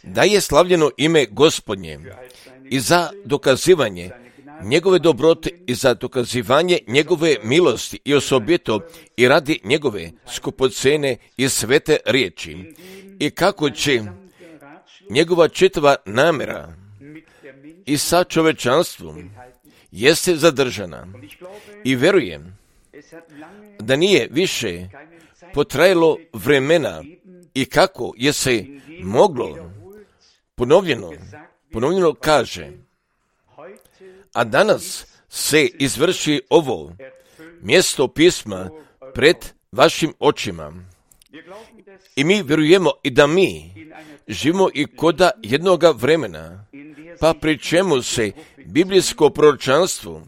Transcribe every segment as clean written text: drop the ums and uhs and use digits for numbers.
Da je slavljeno ime Gospodnje i za dokazivanje njegove dobrote i za dokazivanje njegove milosti i osobito i radi njegove skupocene i svete riječi i kako će njegova čitava namjera i sa čovečanstvom jeste zadržana i vjerujem da nije više potrajalo vremena i kako je se moglo ponovljeno kaže, a danas se izvrši ovo mjesto pisma pred vašim očima. I mi vjerujemo i da mi živimo i koda jednoga vremena, pa pri čemu se biblijsko proročanstvo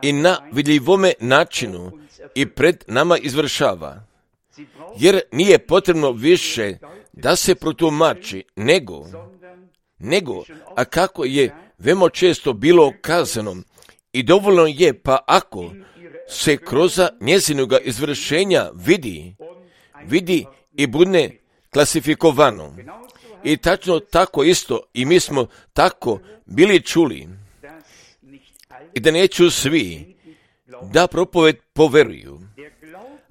i na vidljivome načinu i pred nama izvršava. Jer nije potrebno više da se protumači, nego, a kako je veoma često bilo kazano, i dovoljno je, pa ako se kroz njezinoga izvršenja vidi i bude klasifikovano. I tačno tako isto, i mi smo tako bili čuli, i da neću svi da propoved poveruju.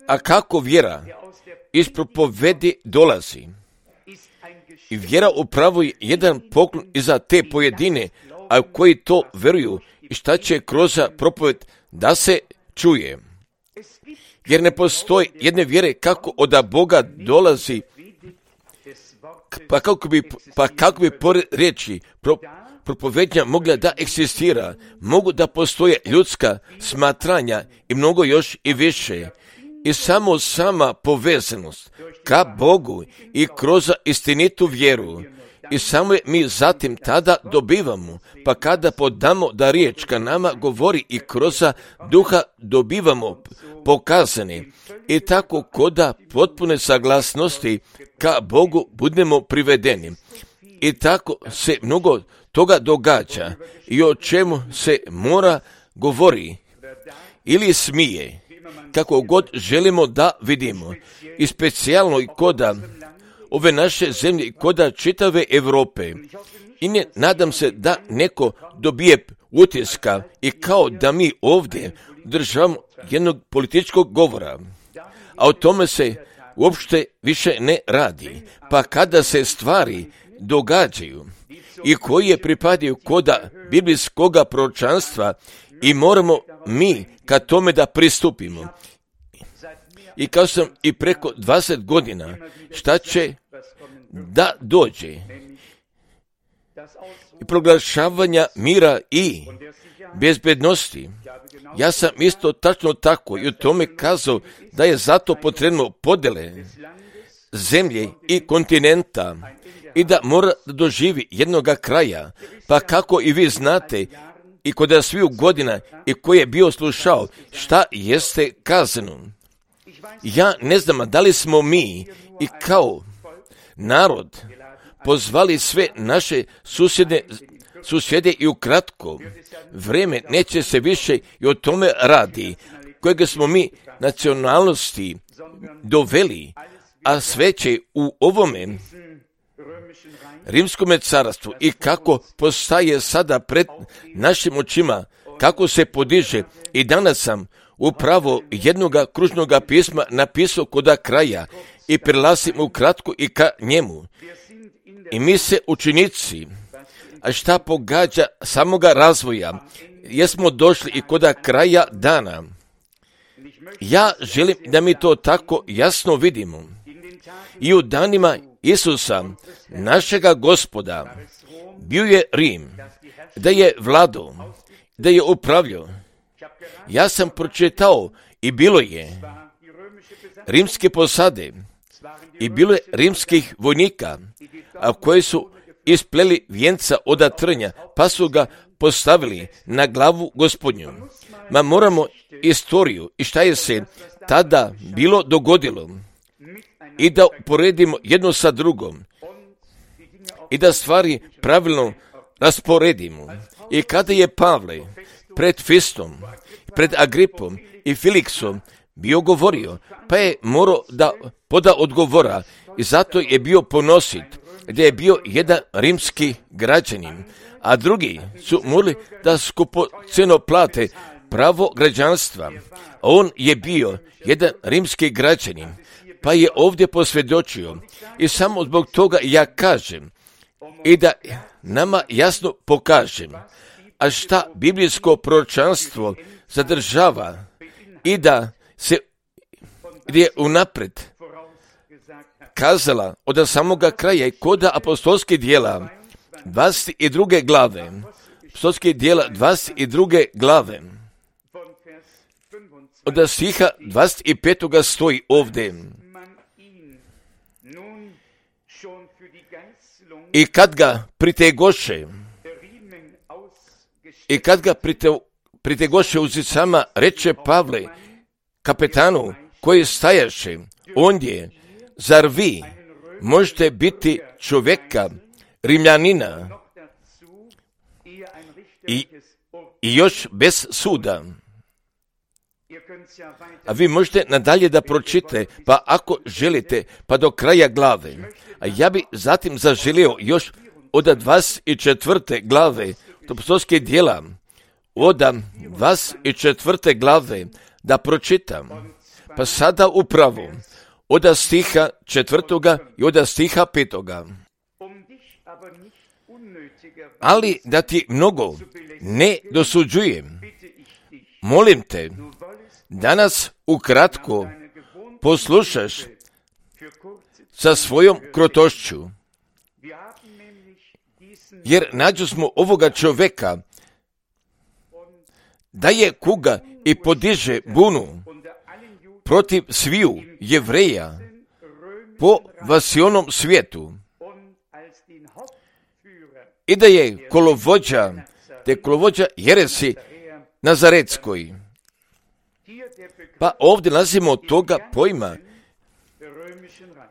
A kako vjera iz propovedi dolazi? I vjera upravo je jedan poklon i za te pojedine, a koji to veruju i šta će kroz propoved da se čuje. Jer ne postoji jedne vjere kako od Boga dolazi, pa kako bi pored riječi propovednja mogla da eksistira, mogu da postoje ljudska smatranja i mnogo još i više. I samo sama povezanost ka Bogu i kroz istinitu vjeru. I samo je mi zatim tada dobivamo, pa kada podamo da riječ ka nama govori i kroz duha dobivamo pokazane. I tako koda potpune saglasnosti ka Bogu budemo privedeni. I tako se mnogo toga događa i o čemu se mora govori ili smije, kako god želimo da vidimo. I specijalno i koda ove naše zemlje i koda čitave Europe. I ne nadam se da neko dobije utiska i kao da mi ovdje državamo jednog političkog govora. A o tome se uopšte više ne radi. Pa kada se stvari događaju i koje pripadaju koda biblijskoga proročanstva i moramo mi ka tome da pristupimo. I kao sam i preko 20 godina, šta će da dođe? I proglašavanja mira i bezbednosti. Ja sam isto tačno tako i u tome kazao da je zato potrebno podjele zemlje i kontinenta i da mora da doživi jednoga kraja. Pa kako i vi znate i kod sviju godina i koji je bio slušao šta jeste kazano. Ja ne znam da li smo mi i kao narod pozvali sve naše susjede i ukratko vrijeme neće se više i o tome radi, kojega smo mi nacionalnosti doveli, a sve će u ovome Rimskome carstvu i kako postaje sada pred našim očima, kako se podiže. I danas sam upravo jednoga kružnoga pisma napisao koda kraja i prelazim ukratko i ka njemu. I mi se učenici, a šta pogađa samoga razvoja, jesmo došli i koda kraja dana. Ja želim da mi to tako jasno vidimo. I u danima Isusa, našega Gospoda, bio je Rim, da je vladao, da je upravljao. Ja sam pročitao i bilo je rimske posade i bilo je rimskih vojnika, a koji su ispleli vijenca od trnja, pa su ga postavili na glavu Gospodnju. Ma moramo istoriju i šta je se tada bilo dogodilo i da uporedimo jedno sa drugom i da stvari pravilno rasporedimo. I kada je Pavle pred Fistom, pred Agripom i Filiksom bio govorio, pa je morao da poda odgovora i zato je bio ponosit, gdje je bio jedan rimski građanin, a drugi su morali da skupocjeno plate pravo građanstva. On je bio jedan rimski građanin, pa je ovdje posvjedočio. I samo zbog toga ja kažem i da nama jasno pokažem, a šta biblijsko proročanstvo zadržava i da se gdje je unaprijed kazala od samoga kraja i koda apostolskih dijela 22. glave. Apostolskih dijela 22. glave. Od stiha 25. stoji ovdje. I kad ga pritegoše uzicama, reče Pavle kapetanu koji stajaše ondje, zar vi možete biti čovjeka, Rimljanina i još bez suda? A vi možete nadalje da pročitate, pa ako želite, pa do kraja glave. A ja bi zatim zaželio još od 24. glave, to apostolskih dijela, od 24. glave da pročitam. Pa sada upravo od stiha 4. i od stiha 5. Ali da ti mnogo ne dosuđujem, molim te, danas ukratko poslušaš sa svojom krotošću, jer nađu smo ovoga čovjeka da je kuga i podiže bunu protiv sviju Jevreja po vasionom svijetu i da je kolovođa jeresi Nazaretskoj. Pa ovdje nalazimo od toga pojma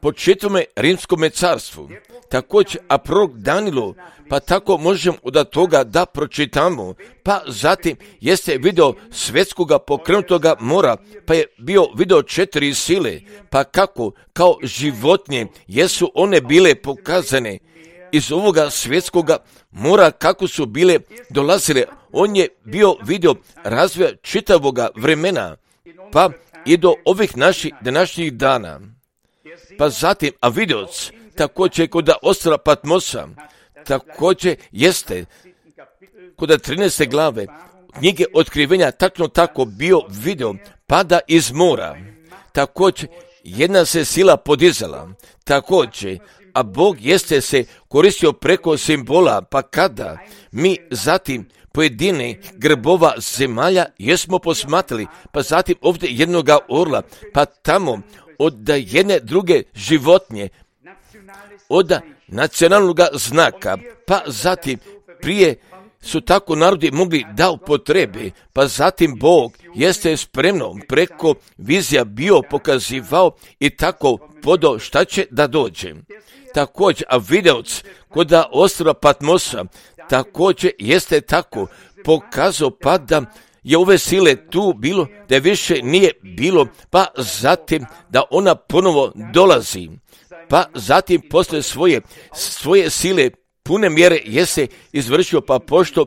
po četvrme rimskome carstvu. Također, a prorok Danilo, pa tako možemo od toga da pročitamo. Pa zatim jeste video svjetskoga pokrenutoga mora, pa je bio video 4 sile, pa kako kao životinje jesu one bile pokazane iz ovoga svjetskoga mora, kako su bile dolazile. On je bio video razvoja čitavoga vremena, pa i do ovih naših današnjih dana. Pa zatim, a videoc također kod ostrva Patmosa, također jeste kod 13. glave knjige Otkrivenja tačno tako bio video pada iz mora. Također jedna se sila podizala. Također, a Bog jeste se koristio preko simbola, pa kada mi zatim pojedine grbova zemalja jesmo posmatrali, pa zatim ovdje jednoga orla, pa tamo od jedne druge životinje, od nacionalnog znaka, pa zatim prije su tako narodi mogli da upotrebe, pa zatim Bog jeste spremno preko vizija bio pokazivao i tako podo šta će da dođe. Također, a videoc kod ostrva Patmosa također jeste tako pokazao pa da je ove sile tu bilo, da je više nije bilo, pa zatim da ona ponovo dolazi, pa zatim posle svoje sile pune mjere jeste izvršio, pa pošto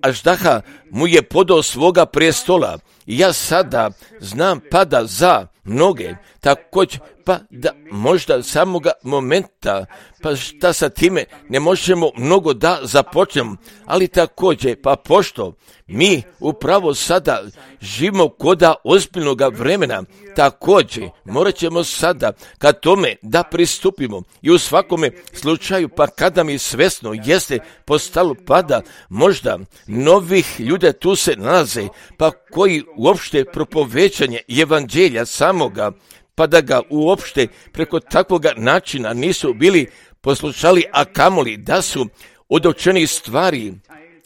Aždaha mu je podao svoga prestola. I ja sada znam pada za mnoge, također pa da možda samoga momenta, pa šta sa time ne možemo mnogo da započnemo, ali također pa pošto mi upravo sada živimo koda ozbiljnog vremena, također morat ćemo sada ka tome da pristupimo i u svakome slučaju pa kada mi svesno jeste postalo pada možda novih ljudi tu se nalaze, pa koji uopšte propovećanje evanđelja samoga, pa da ga uopšte preko takvoga načina nisu bili poslušali, a kamoli da su od učenih stvari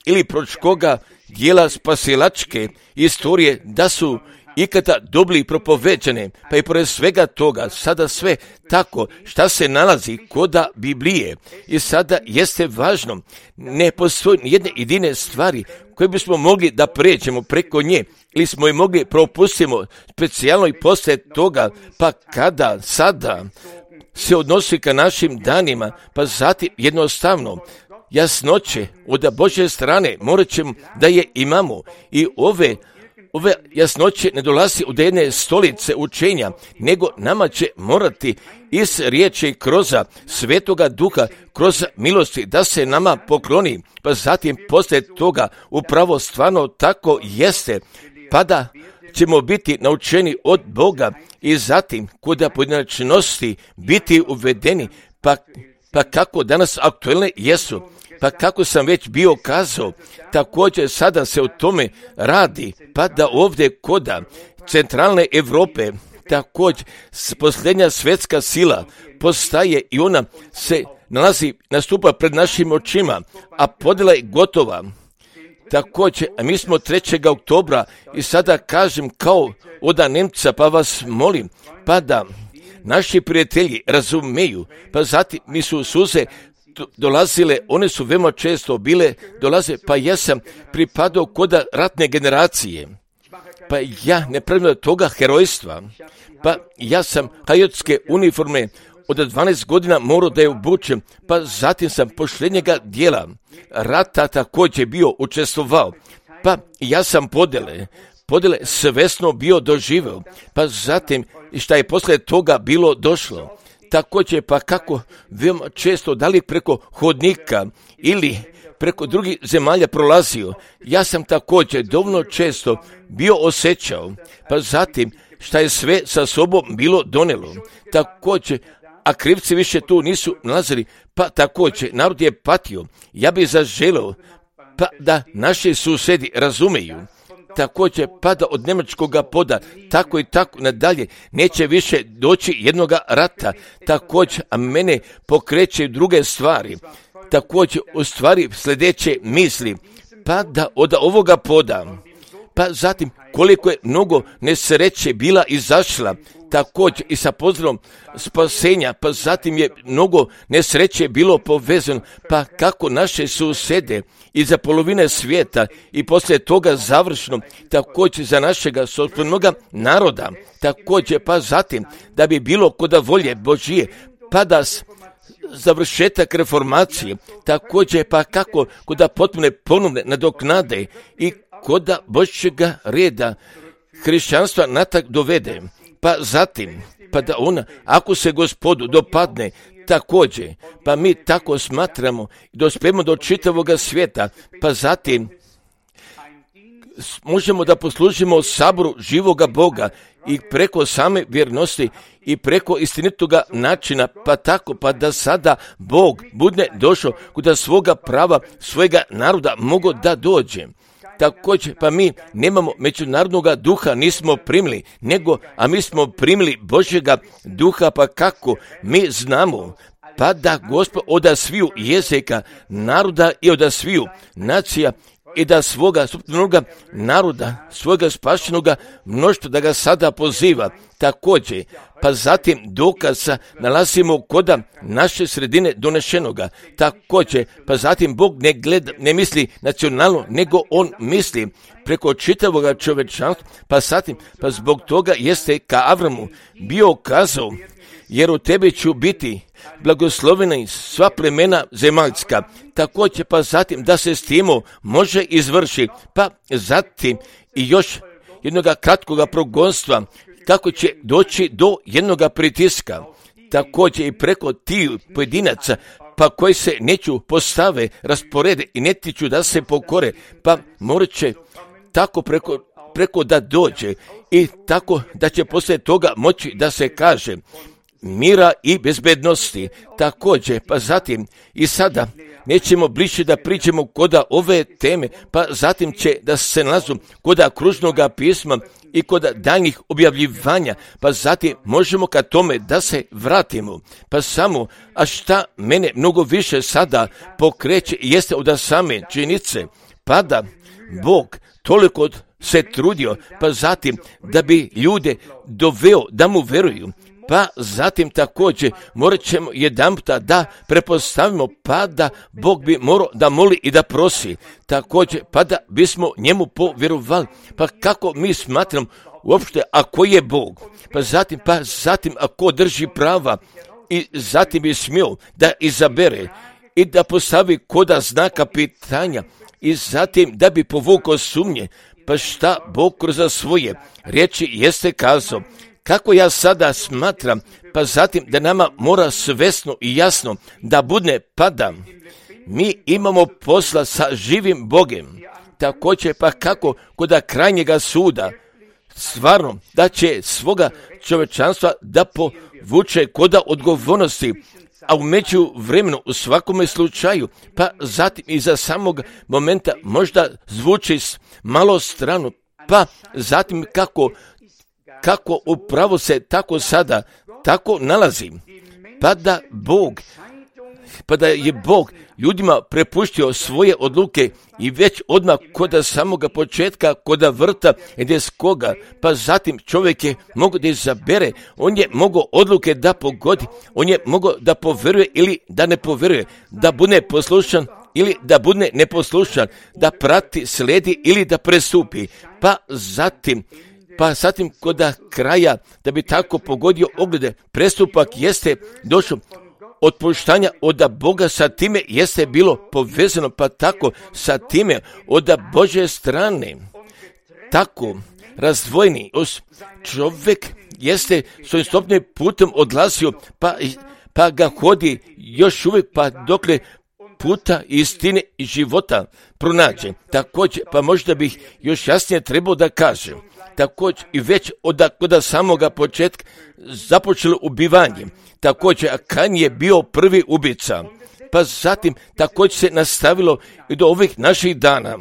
ili pročkoga dijela spasilačke istorije, da su ikada dobili propoveđene, pa i pored svega toga, sada sve tako šta se nalazi koda Biblije. I sada jeste važno, ne postoji jedne jedine stvari koje bismo mogli da pređemo preko nje, ili smo je mogli propustimo specijalno i poslije toga, pa kada sada se odnosi ka našim danima, pa zatim jednostavno jasnoće od Božje strane morat ćemo da je imamo i ove jasnoće ne dolazi od jedne stolice učenja, nego nama će morati iz riječi kroz Svetoga Duha, kroz milosti da se nama pokloni, pa zatim poslije toga upravo stvarno tako jeste, pa da ćemo biti naučeni od Boga i zatim kod pojedinačnosti biti uvedeni, pa kako danas aktuelne jesu. Pa kako sam već bio kazao, također sada se o tome radi, pa da ovdje koda centralne Europe također posljednja svjetska sila postaje i ona se nastupa pred našim očima, a podjela je gotova. Također, a mi smo 3. oktobra i sada kažem kao od Nemca, pa vas molim, pa da naši prijatelji razumeju, pa zatim mi su suze dolazile, one su veoma često dolaze, pa ja sam pripadao koda ratne generacije, pa ja ne pravim toga herojstva, pa ja sam kajotske uniforme od 12 godina morao da je obučem, pa zatim sam posljednjega dijela rata također bio učestvovao, pa ja sam podjele svesno bio doživeo, pa zatim šta je poslije toga bilo došlo. Također pa kako veoma često da li preko hodnika ili preko drugih zemalja prolazio, ja sam također dovoljno često bio osjećao, pa zatim šta je sve sa sobom bilo donelo. Također, a krivci više tu nisu nalazili, pa također narod je patio. Ja bih zaželeo pa da naši susjedi razumeju. Također pada od njemačkog poda, tako i tako nadalje, neće više doći jednoga rata, također, a mene pokreće druge stvari, također u stvari sljedeće misli, pa da od ovoga poda, pa zatim koliko je mnogo nesreće bila izašla, također i sa pozdravom spasenja, pa zatim je mnogo nesreće bilo povezano, pa kako naše susjede iza polovine svijeta i poslije toga završno, također za našega sopstvenoga naroda, također pa zatim da bi bilo koda volje Božije, pa da završetak reformacije, također pa kako koda potpune ponovne nadoknade i koda Božjega reda hrišćanstva natak dovede, pa zatim, pa da ona, ako se Gospodu dopadne, također, pa mi tako smatramo i dospijemo do čitavoga svijeta, pa zatim možemo da poslužimo saboru živoga Boga i preko same vjernosti i preko istinitoga načina, pa tako, pa da sada Bog bude došao kuda svoga prava, svojega naroda mogo da dođe. Također, pa mi nemamo međunarodnog duha, nismo primili, a mi smo primili Božjega duha, pa kako mi znamo, pa da Gospod od sviju jezika, naroda i od sviju nacija i da svoga suptanoga naroda, svoga spašenoga mnoštva da ga sada poziva. Također, pa zatim dokaza nalazimo koda naše sredine donešenoga. Također, pa zatim Bog ne misli nacionalno, nego On misli preko čitavoga čovečanstva, pa zatim, pa zbog toga jeste ka Avramu bio kazao, jer u tebi ću biti blagoslovena sva plemena zemaljska. Također, pa zatim da se s timo može izvrši, pa zatim i još jednoga kratkoga progonstva, kako će doći do jednoga pritiska, također i preko tih pojedinaca, pa koji se neću postave, rasporede i ne tiču da se pokore, pa morat će tako preko da dođe i tako da će poslije toga moći da se kaže mira i bezbednosti. Također, pa zatim i sada nećemo bliže da priđemo koda ove teme, pa zatim će da se nalazu koda kružnoga pisma i koda daljnjih objavljivanja, pa zatim možemo ka tome da se vratimo. Pa samo, a šta mene mnogo više sada pokreće jeste od same činjenice, pa da Bog toliko se trudio, pa zatim da bi ljude doveo da mu veruju, pa zatim također morat ćemo jedanputa da prepostavimo, pa da Bog bi morao da moli i da prosi, također pa da bismo njemu povjerovali, pa kako mi smatramo uopšte ako je Bog, pa zatim ako drži prava i zatim bi smio da izabere i da postavi koda znaka pitanja i zatim da bi povukao sumnje, pa šta Bog kroz svoje riječi jeste kazao, kako ja sada smatram, pa zatim da nama mora svesno i jasno da bude pada. Mi imamo posla sa živim Bogem, također pa kako kod krajnjega suda, stvarno da će svoga čovječanstva da povuče koda odgovornosti, a u međuvremenu u svakome slučaju, pa zatim i za samog momenta možda zvuči malo strano, pa zatim kako upravo se tako sada tako nalazi, pa da je Bog ljudima prepustio svoje odluke i već odmah kod samoga početka, kod vrta Edenskoga, pa zatim čovjek je mogao da izabere, on je mogao odluke da pogodi, on je mogao da poveruje ili da ne poveruje, da bude poslušan ili da bude neposlušan, da prati, sledi ili da prestupi, pa zatim kod kraja da bi tako pogodio oglede, prestupak jeste došao otpuštanja od Boga, sa time jeste bilo povezano, pa tako sa time od Božje strane, tako razdvojeni čovjek jeste svojim stopnim putem odlazio, pa ga hodi još uvijek, pa dokle puta istine i života pronađe. Također, pa možda bih još jasnije trebao da kažem, također i već od samoga početka započelo ubivanje, također Kain je bio prvi ubica, pa zatim također se nastavilo i do ovih naših dana.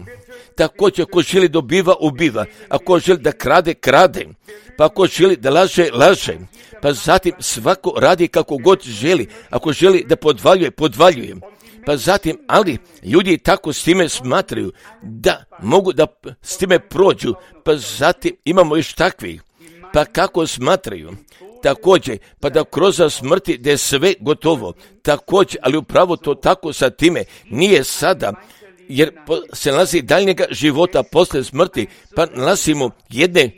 Također ako želi dobiva, ubiva, ako želi da krade, krade, pa ako želi da laže, laže, pa zatim svako radi kako god želi, ako želi da podvaljuje, pa zatim, ali ljudi tako s time smatraju da mogu da s time prođu, pa zatim imamo još takvih, pa kako smatraju, također, pa da kroz smrti da je sve gotovo, također, ali upravo to tako sa time nije sada, jer se nalazi daljnjega života posle smrti, pa nalazimo jedne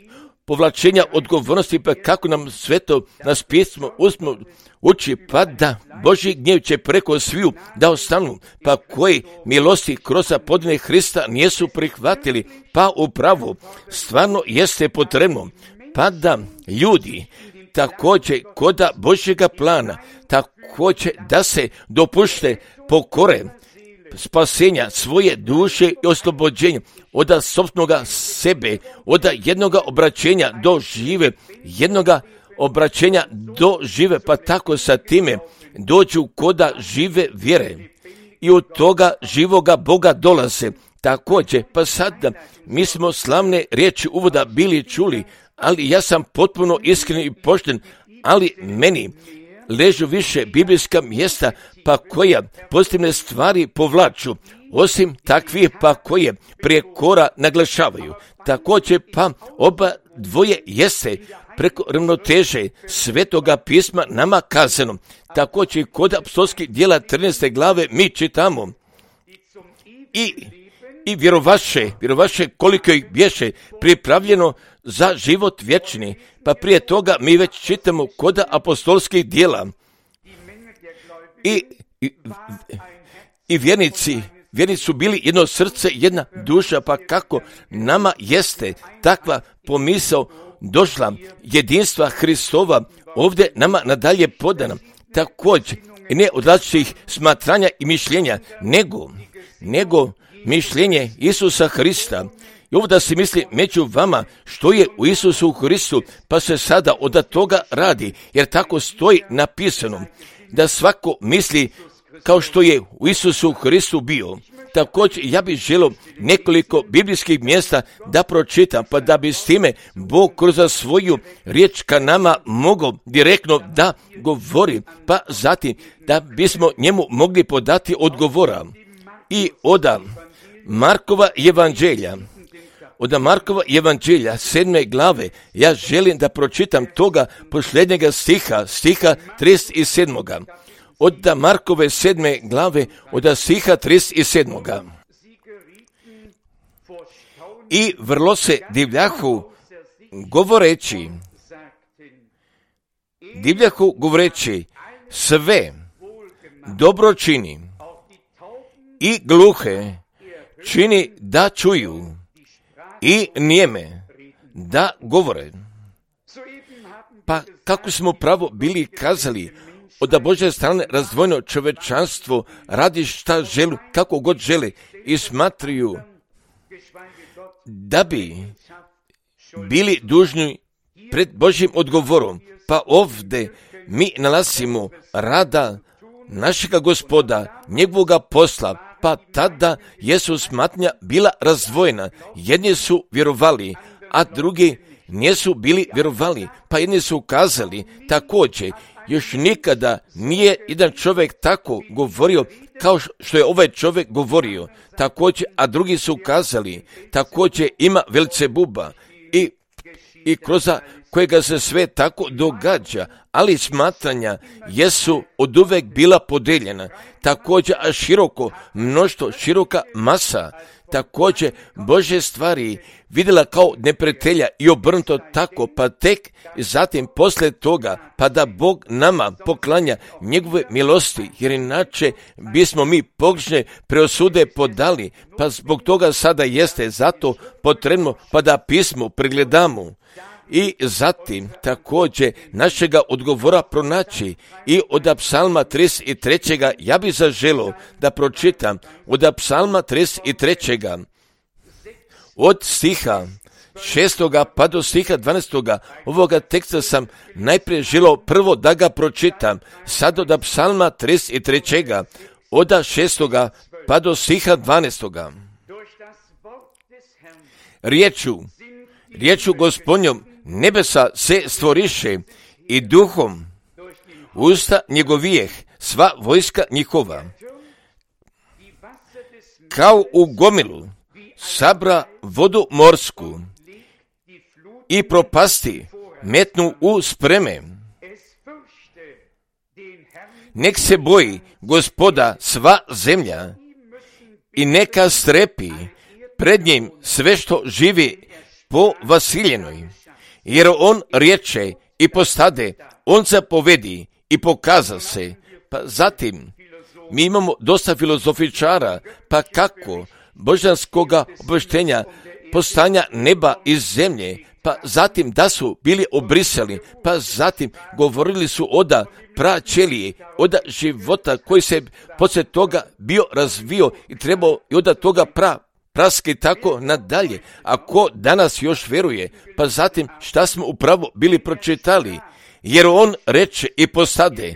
povlačenja odgovornosti, pa kako nam sveto nas pismo uči, pa da Božji gnjev će preko sviju da ostanu, pa koji milosti kroz podne Hrista nijesu prihvatili, pa upravo stvarno jeste potrebno, pa da ljudi također koda Božjega plana, također da se dopušte pokore spasenja svoje duše i oslobođenja od sopstvenog sebe, od jednoga obraćenja do žive, pa tako sa time dođu koda žive vjere i od toga živoga Boga dolaze. Također, pa sad mi smo slavne riječi uvoda bili čuli, ali ja sam potpuno iskren i pošten, ali meni ležu više biblijska mjesta, pa koja pozitivne stvari povlaču, osim takvih pa koje prijekora naglašavaju. Također pa oba dvoje jeste preko ravnoteže Svetoga pisma nama kazano. Također kod apostolskih djela 13. glave mi čitamo i vjerovaše koliko ih bješe pripravljeno za život vječni, pa prije toga mi već čitamo kod apostolskih djela i vjernici su bili jedno srce, jedna duša, pa kako nama jeste takva pomisao došla jedinstva Hristova ovdje nama nadalje podana, također ne od različitih smatranja i mišljenja, nego mišljenje Isusa Hrista. I ovo da se misli među vama što je u Isusu Hristu, pa se sada od toga radi, jer tako stoji napisano, da svako misli kao što je u Isusu Hristu bio. Također ja bih želio nekoliko biblijskih mjesta da pročitam, pa da bi s time Bog kroz svoju riječ ka nama mogao direktno da govori, pa zatim da bismo njemu mogli podati odgovora. I od Markova evanđelja, od Markova evanđelja 7. glave, ja želim da pročitam toga posljednjega stiha 37. Od Markove 7. glave, od stiha 37. I vrlo se divljahu govoreći, sve dobro čini i gluhe čini da čuju i nijeme da govore. Pa kako smo pravo bili kazali, od Božje strane razdvojeno čovečanstvo radi šta želi, kako god žele i smatraju da bi bili dužni pred Božjim odgovorom. Pa ovdje mi nalazimo rada našega Gospoda, njegovoga posla, pa tada jesu smatnja bila razdvojena. Jedni su vjerovali, a drugi nisu bili vjerovali, pa jedni su kazali također, još nikada nije jedan čovjek tako govorio kao što je ovaj čovjek govorio, također, a drugi su kazali, također ima Velcebuba i kroz kojega se sve tako događa, ali smatranja jesu oduvek bila podeljena, također, a široka masa, također Božje stvari vidjela kao neprijatelja i obrnuto tako, pa tek zatim poslije toga, pa da Bog nama poklanja njegove milosti, jer inače bismo mi pogrešne preosude podali, pa zbog toga sada jeste zato potrebno pa da pismo pregledamo. I zatim također našega odgovora pronaći i od Psalma 33. ja bi zaželio da pročitam od Psalma 33. od stiha 6. pa do stiha 12. ovoga teksta sam najprije želio prvo da ga pročitam, sad od Psalma 33. od 6. pa do stiha 12. Riječu Gospodnjom nebesa se stvoriše i duhom usta njegovijeh sva vojska njihova. Kao u gomilu sabra vodu morsku i propasti metnu u spreme. Nek se boji Gospoda sva zemlja i neka strepi pred njim sve što živi po Vasiljenoj. Jer on riječe i postade, on zapovedi i pokaza se. Pa zatim, mi imamo dosta filozofičara, pa kako božanskoga obavještenja postanja neba i zemlje, pa zatim da su bili obrisali, pa zatim govorili su oda praćelije, oda života koji se poslije toga bio razvio i trebao i oda toga praski tako nadalje. Ako danas još vjeruje, pa zatim šta smo upravo bili pročitali, jer on reče i postade,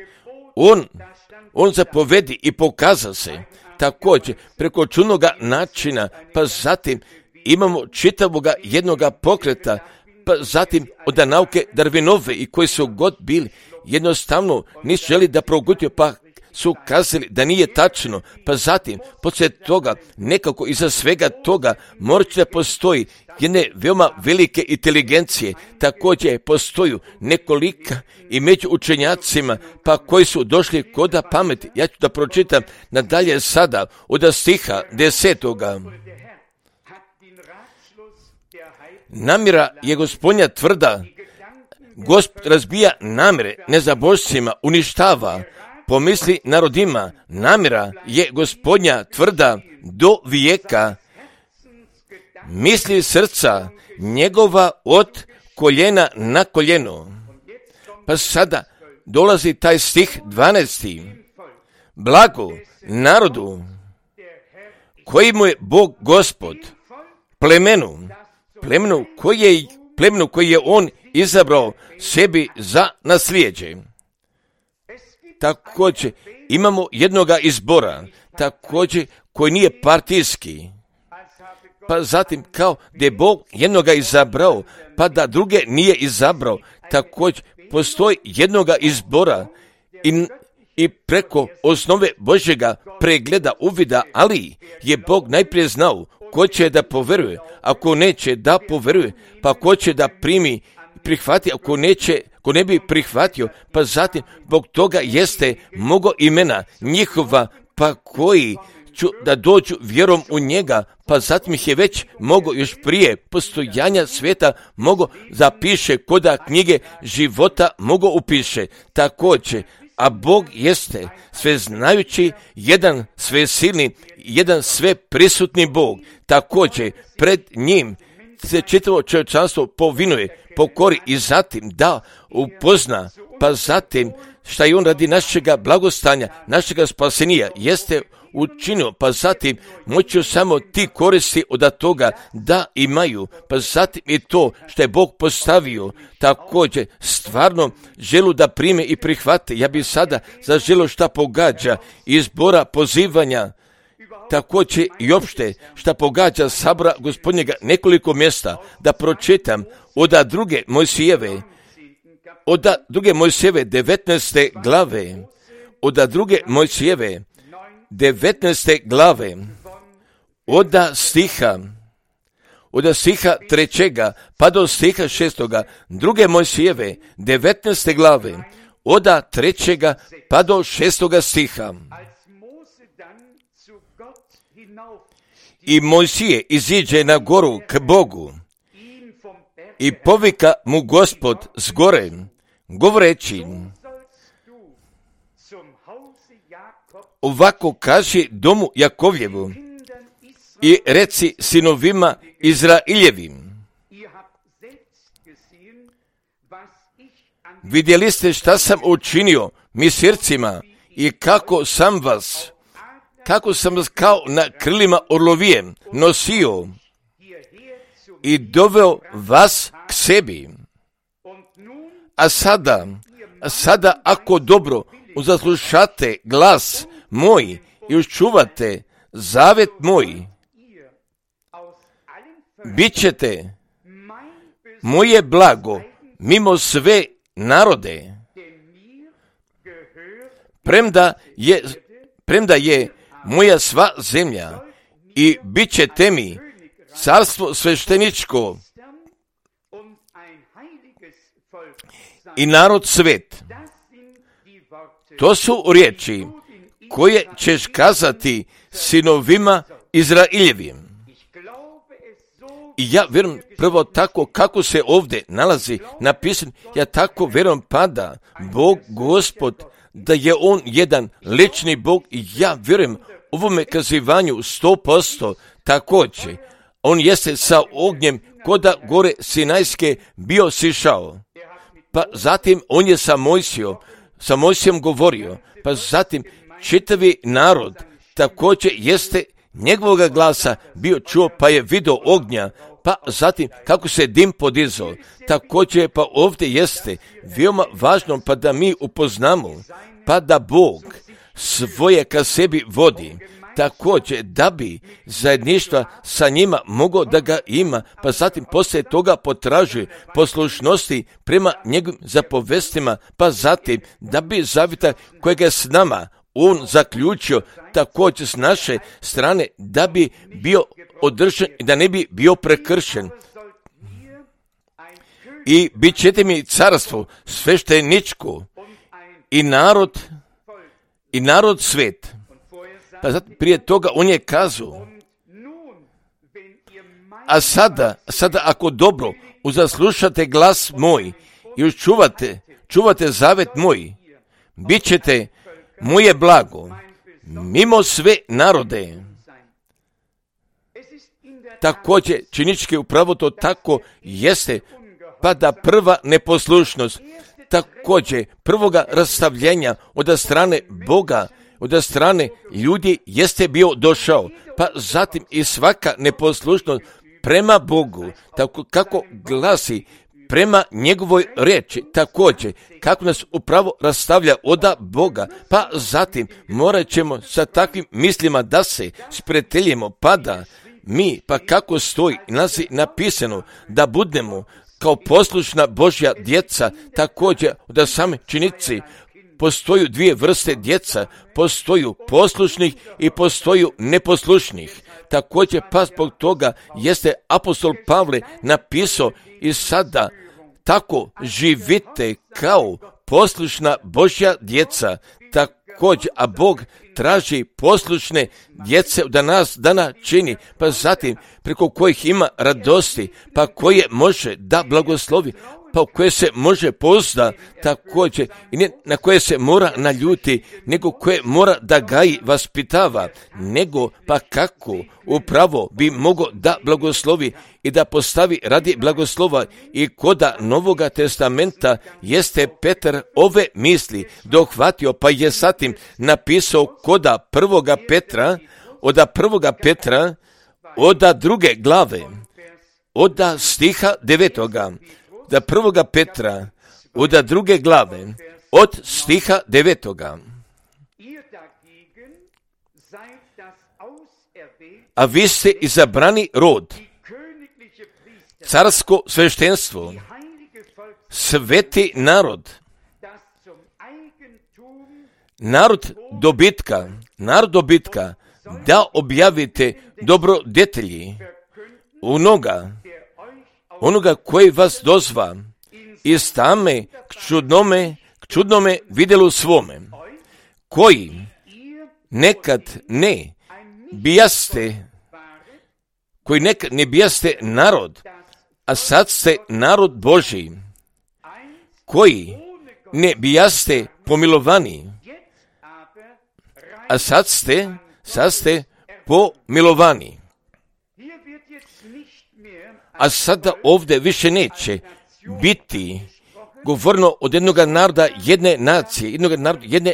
on zapovedi i pokaza se, također preko čudnoga načina, pa zatim imamo čitavoga jednoga pokreta, pa zatim od nauke Darwinove i koji su god bili, jednostavno nisu želi da progutio, pa su kazali da nije tačno, pa zatim, poslije toga, nekako iza svega toga, morat da postoji jedne veoma velike inteligencije, također postoju nekolika i među učenjacima, pa koji su došli koda pameti. Ja ću da pročitam nadalje sada od stiha 10. Namjera je Gospodnja tvrda, Gospod razbija namjere nezabožcima, uništava, pomisli narodima, namjera je Gospodnja tvrda do vijeka, misli srca njegova od koljena na koljeno. Pa sada dolazi taj stih 12. Blago narodu koji mu je Bog Gospod, plemenu koji je on izabrao sebi za naslijeđe. Također imamo jednoga izbora, također koji nije partijski, pa zatim kao da je Bog jednoga izabrao, pa da druge nije izabrao, također postoji jednoga izbora i preko osnove Božjega pregleda uvida, ali je Bog najprije znao ko će da poveruje, ako neće da poveruje, pa ko će da primi, prihvati, ako neće, ko ne bi prihvatio, pa zatim, zbog toga jeste mnogo imena njihova, pa koji ću da dođu vjerom u njega, pa zatim ih je već mogo još prije postojanja svijeta mogo zapiše, koda knjige života mogo upiše. Također, a Bog jeste sveznajući, jedan svesilni, jedan sve prisutni Bog. Također, pred njim se čitavo čovječanstvo povinuje, pokori i zatim da upozna, pa zatim šta je on radi našega blagostanja, našega spasenija jeste učinio, pa zatim moću samo ti koristi od toga da imaju, pa zatim i to što je Bog postavio, također stvarno želu da prime i prihvate. Ja bih sada zaželio šta pogađa izbora pozivanja, također i opšte šta pogađa sabora Gospodnjega, nekoliko mjesta da pročitam od druge Mojsijeve, 19. glave, od druge Mojsijeve 19. glave, od stiha 3. pa do stiha 6. druge Mojsijeve 19. glave, od 3. pa do 6. stiha. I Mojsije iziđe na goru k Bogu i povika mu Gospod s gore, govoreći, ovako kaži domu Jakovljevu i reci sinovima Izraeljevim. Vidjeli ste šta sam učinio misircima i kako sam vas kao na krilima orlovije nosio i doveo vas k sebi. A sada ako dobro uzaslušate glas moj i učuvate zavet moj, bit ćete moje blago mimo sve narode, premda je moja sva zemlja i bit ćete mi carstvo svešteničko i narod svet. To su riječi koje ćeš kazati sinovima Izraeljevim. I ja vjerujem prvo tako kako se ovdje nalazi napisano, ja tako vjerujem pada Bog Gospod, da je on jedan lični Bog i ja vjerujem ovome kazivanju 100%. Također, on jeste sa ognjem koda gore Sinajske bio sišao. Pa zatim on je sa Mojsijom govorio, pa zatim čitavi narod također jeste njegovoga glasa bio čuo, pa je vidio ognja, pa zatim kako se dim podizao. Također pa ovdje jeste veoma važno pa da mi upoznamo, pa da Bog svoje ka sebi vodi, također da bi zajedništva sa njima mogao da ga ima, pa zatim poslije toga potražuje poslušnosti prema njegovim zapovestima, pa zatim da bi zavjeta kojega je s nama on zaključio također s naše strane, da bi bio održan i da ne bi bio prekršen. I bit ćete mi carstvo svešteničko i narod svet. Pa zato prije toga on je kazao, a sada ako dobro uzaslušate glas moj i čuvate zavet moj, bit ćete moje blago mimo sve narode. Također činički upravo to tako jeste, pa da prva neposlušnost, također prvoga rastavljenja od strane Boga, od strane ljudi jeste bio došao, pa zatim i svaka neposlušnost prema Bogu, tako kako glasi prema njegovoj riječi, također kako nas upravo rastavlja od Boga, pa zatim morat ćemo sa takvim mislima da se spreteljimo, pa da mi, pa kako stoji napisano, da budemo kao poslušna Božja djeca, također da same činici postoju dvije vrste djeca, postoju poslušnih i postoju neposlušnih. Također pa zbog toga jeste apostol Pavle napisao i sada tako živite kao poslušna Božja djeca, također, a Bog traži poslušne djece da nas dana čini, pa zatim preko kojih ima radosti, pa koje može da blagoslovi, pa u koje se može pozda također i ne na koje se mora naljuti, nego koje mora da gaji, vaspitava, nego pa kako upravo bi mogao da blagoslovi i da postavi radi blagoslova. I koda Novoga testamenta jeste Petar ove misli dohvatio, pa je zatim napisao koda prvoga Petra, od druge glave, od stiha 9. Da prvoga Petra, od druge glave, od stiha 9. A vi ste izabrani rod, carsko sveštenstvo, sveti narod, narod dobitka, da objavite dobrodetelji onoga koji vas dozva iz tame k čudnome vidjelu svome, koji nekad ne bijaste narod, a sad ste narod Božji, koji ne bijaste pomilovani, a sad ste pomilovani. A sada ovdje više neće biti govorno od jednog naroda jedne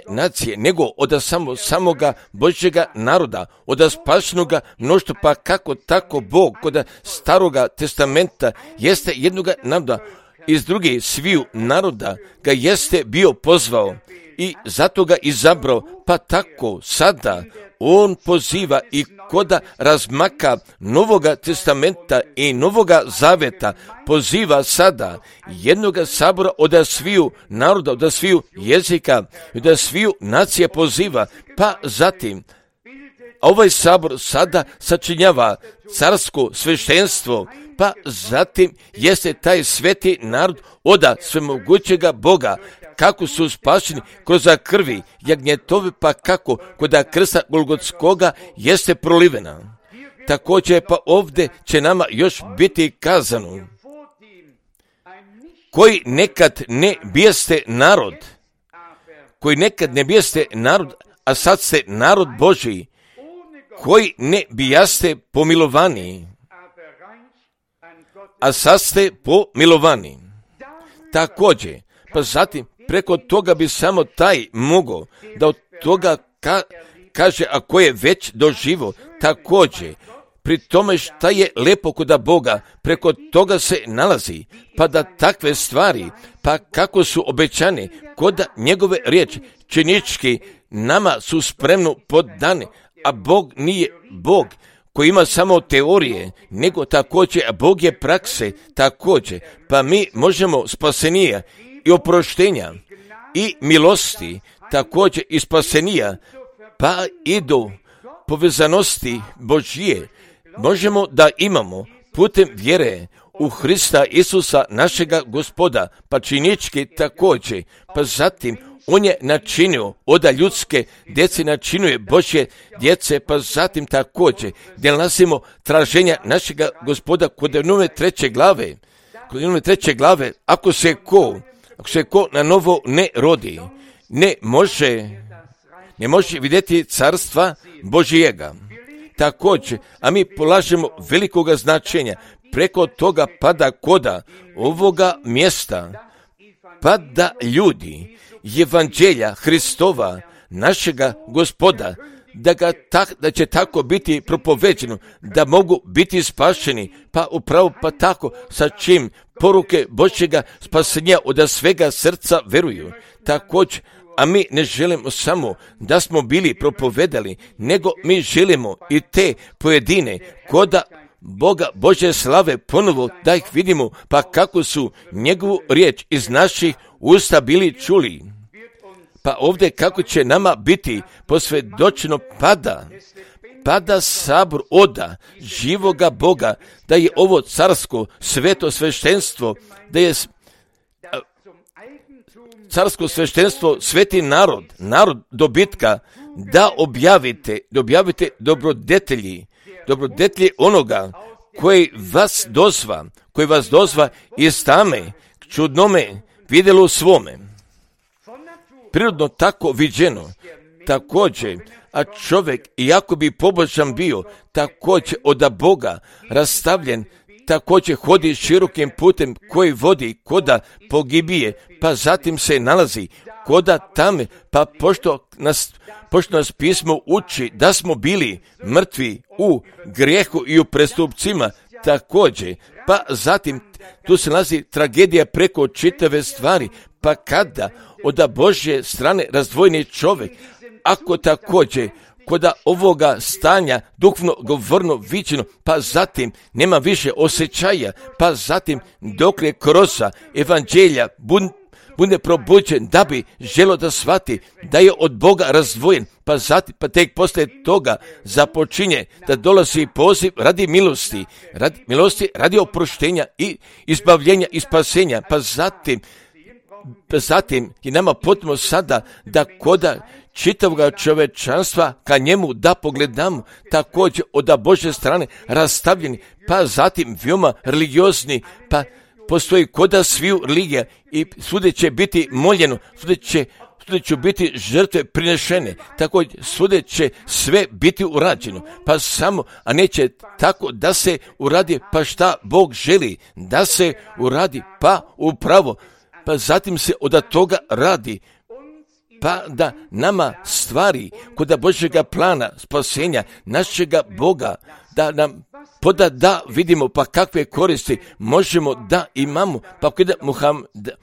nacije, nego od samoga Božjega naroda, od spašenoga mnoštva, pa kako tako Bog kod staroga testamenta jeste jednog naroda iz drugih sviju naroda ga jeste bio pozvao i zato ga izabrao, pa tako sada on poziva i koda razmaka Novoga testamenta i Novoga zaveta, poziva sada jednoga sabora od sviju naroda, od sviju jezika, od sviju nacije poziva, pa zatim ovaj sabor sada sačinjava carsko sveštenstvo, pa zatim jeste taj sveti narod od svemogućega Boga, kako su spašeni kroz krvi jagnjetove, pa kako kod krsta Golgotskoga jeste prolivena. Također pa ovdje će nama još biti kazano, koji nekad ne bijeste narod, a sad ste narod Božji, koji ne bijaste pomilovani, a sad ste pomilovani. Također, pa zatim preko toga bi samo taj mogao da od toga kaže, ako je već doživo, također pri tome šta je lepo kod Boga, preko toga se nalazi, pa da takve stvari, pa kako su obećane kod njegove riječi, činički nama su spremno poddane, a Bog nije Bog koji ima samo teorije, nego također Bog je prakse, također, pa mi možemo spasenija i oproštenja i milosti, također i spasenija, pa i do povezanosti Božje, možemo da imamo putem vjere u Hrista Isusa našega Gospoda, pa činički također, pa zatim on je načinio od ljudske djece, načinuje Božje djece, pa zatim također gdje nalazimo traženja našega Gospoda kod nove 3. glave, ako se ko na novo ne rodi, ne može vidjeti carstva Božjega. Također, a mi polažemo velikoga značenja preko toga pada koda ovoga mjesta, pada ljudi evanđelja Hristova, našega Gospoda, da će tako biti propoveđeno, da mogu biti spašeni, pa upravo pa tako sa čim poruke Božjega spasenja od svega srca veruju. Također, a mi ne želimo samo da smo bili propovedali, nego mi želimo i te pojedine koda Boga Božje slave ponovo da ih vidimo, pa kako su njegovu riječ iz naših usta bili čuli. Pa ovdje kako će nama biti posvjedočeno pada sabor oda živoga Boga, da je ovo carsko sveto sveštenstvo, da je carsko sveštenstvo sveti narod dobitka, da objavite dobrodetelji onoga koji vas dozva iz tame k čudnome vidjelu svome. Prirodno tako viđeno, također, a čovjek, iako bi pobožan bio, također od Boga rastavljen, također hodi širokim putem koji vodi koda pogibije, pa zatim se nalazi koda tame, pa pošto nas pismo uči da smo bili mrtvi u grijehu i u prestupcima, također, pa zatim tu se nalazi tragedija preko čitave stvari, pa kada od Božje strane razdvojeni čovjek, ako također koda ovoga stanja duhovno govorno viđeno, pa zatim nema više osjećaja, pa zatim dok je kroz evanđelja bude probuđen da bi želo da shvati da je od Boga razdvojen, pa tek poslije toga započinje da dolazi poziv radi milosti, radi oproštenja i izbavljenja i spasenja, pa zatim je nama potrebno sada da koda čitavog čovečanstva ka njemu da pogledamo, također od Božje strane rastavljeni, pa zatim veoma religiozni, pa postoji koda sviju religija i svude će biti moljeno, svude će biti žrtve prinešene, također svude će sve biti urađeno, pa samo, a neće tako da se uradi pa šta Bog želi da se uradi, pa upravo, pa zatim se od toga radi, pa da nama stvari kod Božjega plana spasenja našega Boga, da nam da vidimo pa kakve koristi možemo da imamo, pa kada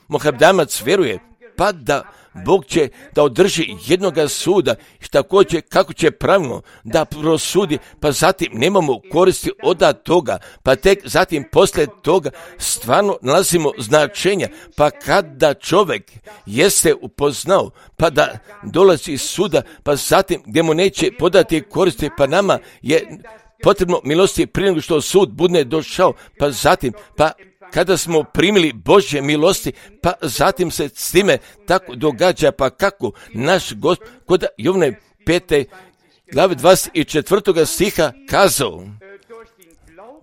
Mohamedanac vjeruje, pa da Bog će da održi jednoga suda, također kako će pravilno da prosudi, pa zatim nemamo koristi od toga, pa tek zatim poslije toga stvarno nalazimo značenja, pa kada čovjek jeste upoznao, pa da dolazi iz suda, pa zatim gdje mu neće podati koristi, pa nama je potrebno milosti prije nego što sud bude došao, pa zatim, pa kada smo primili Božje milosti, pa zatim se s time tako događa, pa kako naš Gospod kod Jovne 5. glave 24. stiha kazao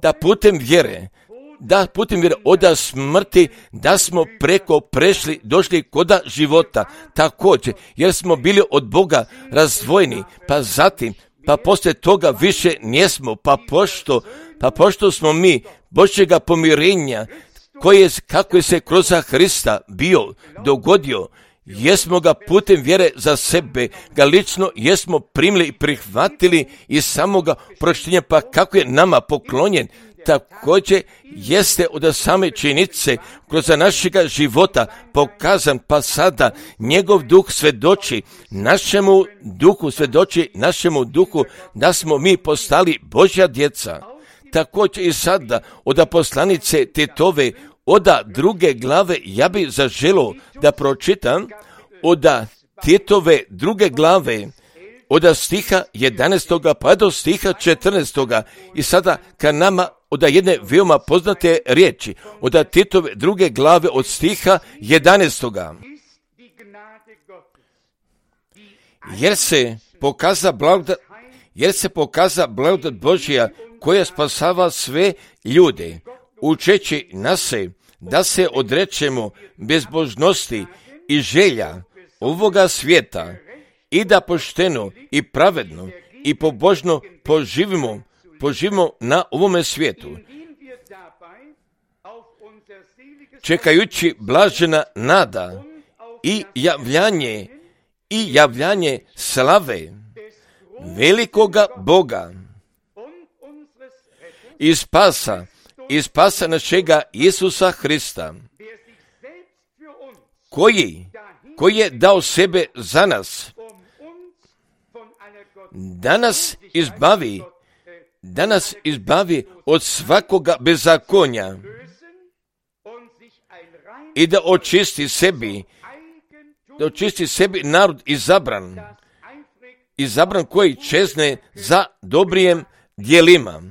da putem vjere od smrti da smo preko prešli, došli koda života, također, jer smo bili od Boga razdvojeni, pa zatim, pa poslije toga više njesmo, pa pošto smo mi Božjega pomirenja, kako je se kroz Hrista bio dogodio, jesmo ga putem vjere za sebe, ga lično jesmo primili i prihvatili iz samoga proštenja, pa kako je nama poklonjen, također jeste od same činjenice kroz našega života pokazan, pa sada njegov duh svjedoči našemu duhu da smo mi postali Božja djeca. Također i sada od poslanice Titove od 2. glave ja bi zaželio da pročitam od Titove 2. glave od stiha 11. pa do stiha 14. i sada ka nama od jedne veoma poznate riječi, od Titove 2. glave od stiha 11. Jer se pokaza blagodat Božja koja spasava sve ljude, učeći nas da se odrečemo bezbožnosti i želja ovoga svijeta i da pošteno i pravedno i pobožno poživimo na ovome svijetu, čekajući blažena nada i javljanje slave velikoga Boga i spasa našega Isusa Hrista, koji je dao sebe za nas, da nas izbavi od svakoga bezakonja i da očisti sebi da očisti sebi narod izabran koji čezne za dobrijem djelima.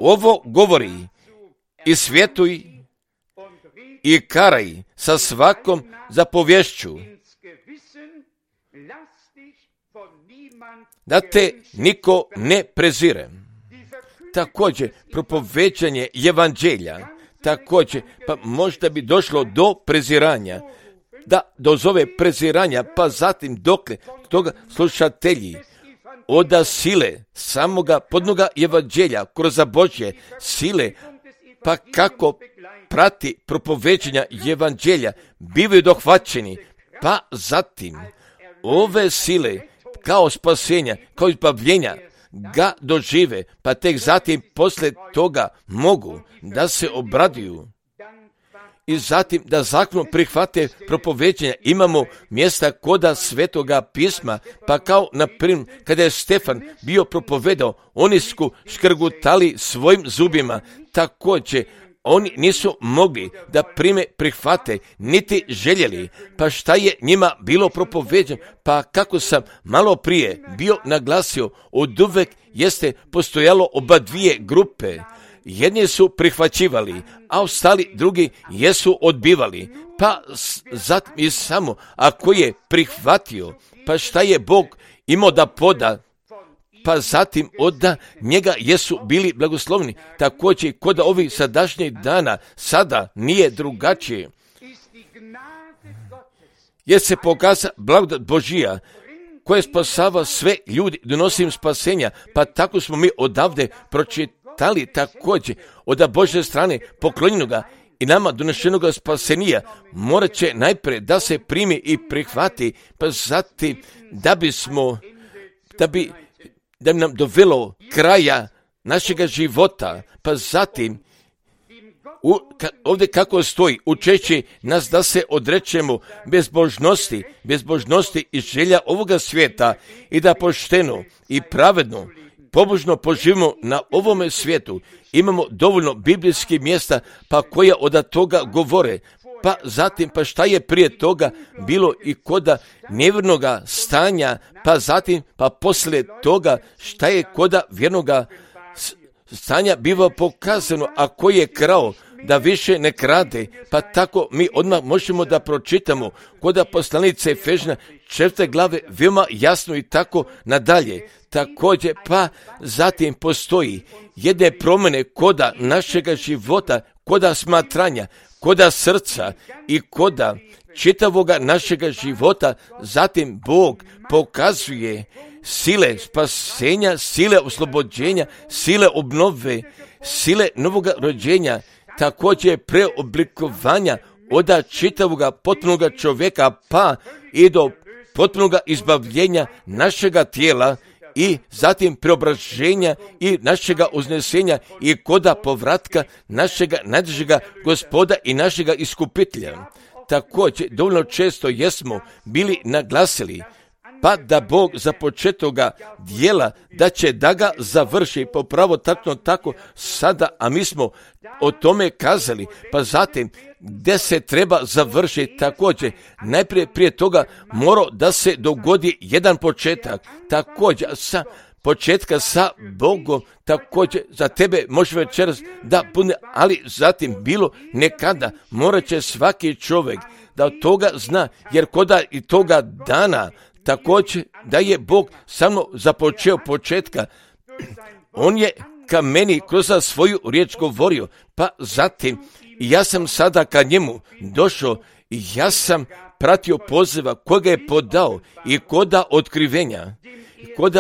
Ovo govori i svjetuj i karaj sa svakom zapovješću, da te niko ne prezire. Također, propovećanje evanđelja, također, pa možda bi došlo do preziranja, da dozove preziranja, pa zatim dokle toga slušatelji oda sile samoga podnoga evanđelja kroz Božje sile, pa kako prati propovećanja evanđelja, bivaju dohvaćeni, pa zatim ove sile kao spasenja, kao izbavljenja ga dožive, pa tek zatim poslije toga mogu da se obraduju i zatim da zakon prihvate propovećenja. Imamo mjesta koda Svetoga pisma, pa kao na primjer kada je Stefan bio propovedao, oni su škrgutali svojim zubima, također oni nisu mogli da prihvate, niti željeli. Pa šta je njima bilo propoveđeno? Pa kako sam malo prije bio naglasio, oduvek jeste postojalo oba dvije grupe. Jedni su prihvaćivali, a ostali drugi jesu odbivali. Pa zatim i samo ako je prihvatio, pa šta je Bog imao da poda, pa zatim od njega jesu bili blagoslovni. Također kod ovih sadašnjih dana sada nije drugačije. Jer se pokaza blagodat Božija koja spasava sve ljudi, donosi im spasenja, pa tako smo mi odavde pročitali također od Božje strane poklonjenoga i nama donešenoga spasenija morat će najprije da se primi i prihvati, pa zatim da bi nam dovelo kraja našega života, pa zatim ovdje kako stoji, učeći nas da se odrećemo bezbožnosti i želja ovoga svijeta i da pošteno i pravedno, pobožno poživimo na ovome svijetu. Imamo dovoljno biblijskih mjesta pa koja od toga govore. Pa zatim, pa šta je prije toga bilo i koda nevjernoga stanja, pa zatim, pa poslije toga šta je koda vjernoga stanja biva pokazano, a koji je krao da više ne krade, pa tako mi odmah možemo da pročitamo koda poslanice Efežna 4. glave veoma jasno i tako nadalje. Također, pa zatim postoji jedne promjene koda našega života, koda smatranja, koda srca i koda čitavoga našega života. Zatim Bog pokazuje sile spasenja, sile oslobođenja, sile obnove, sile novoga rođenja, također preoblikovanja od čitavoga potpunoga čovjeka pa i do potpunoga izbavljenja našega tijela i zatim preobraženja i našega uznesenja i koda povratka našega najdražega Gospoda i našega iskupitelja. Također, dovoljno često jesmo bili naglasili, pa da Bog započetoga dijela, da će da ga završi popravo tako sada, a mi smo o tome kazali, pa zatim gdje se treba završiti također, najprije prije toga mora da se dogodi jedan početak, također sa početka sa Bogom, također za tebe može večeras da bude, ali zatim bilo nekada morat će svaki čovjek da od toga zna, jer koda i toga dana također da je Bog samo započeo početka, on je ka meni kroz svoju riječ govorio, pa zatim ja sam sada ka njemu došao i ja sam pratio poziva koga je podao i koda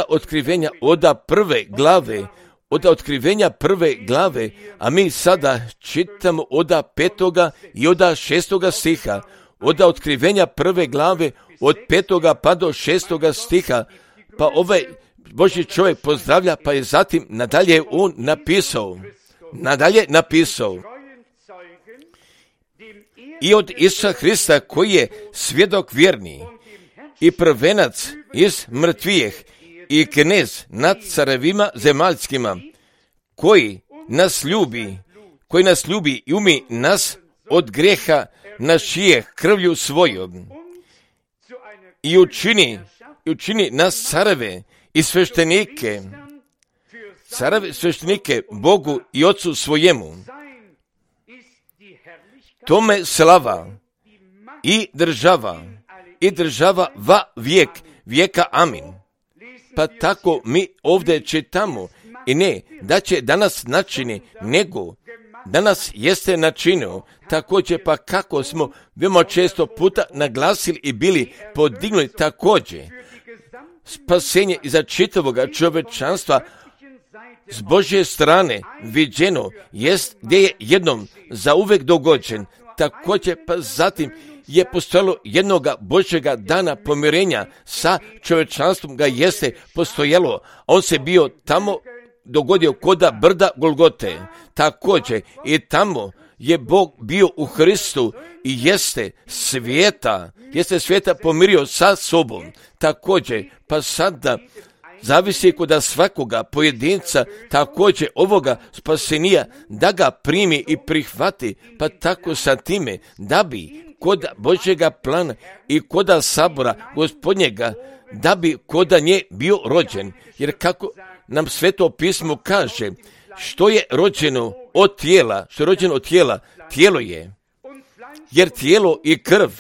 otkrivenja od prve glave, a mi sada čitamo od 5. i od 6. stiha, od otkrivenja prve glave od 5. pa do 6. stiha, pa ovaj Božji čovjek pozdravlja, pa je zatim nadalje on napisao i od Isusa Hrista koji je svjedok vjerni i prvenac iz mrtvijeh i knez nad carevima zemaljskima, koji nas ljubi i umi nas od grijeha naš je krvlju svojom i učini nas careve i sveštenike, sveštenike Bogu i Otcu svojemu. Tome slava i država va vijeka, amin. Pa tako mi ovdje čitamo i ne da će danas načini, nego danas jeste načinio. Također pa kako smo veoma često puta naglasili i bili podignuti također. Spasenje iza čitavoga čovječanstva s Božje strane viđeno jest gdje je jednom zauvek dogođen. Također pa zatim je postojalo jednoga Božjega dana pomirenja sa čovječanstvom ga jeste postojalo. On se bio tamo dogodio koda brda Golgote. Također i tamo je Bog bio u Hristu i jeste svijeta pomirio sa sobom. Također pa sada zavisi kod svakoga pojedinca također ovoga spasenija da ga primi i prihvati, pa tako sa time da bi kod Božjega plana i kod sabora Gospodnjega da bi kod nje bio rođen. Jer kako nam Sveto pismo kaže, što je rođeno od tijela, tijelo je. Jer tijelo i krv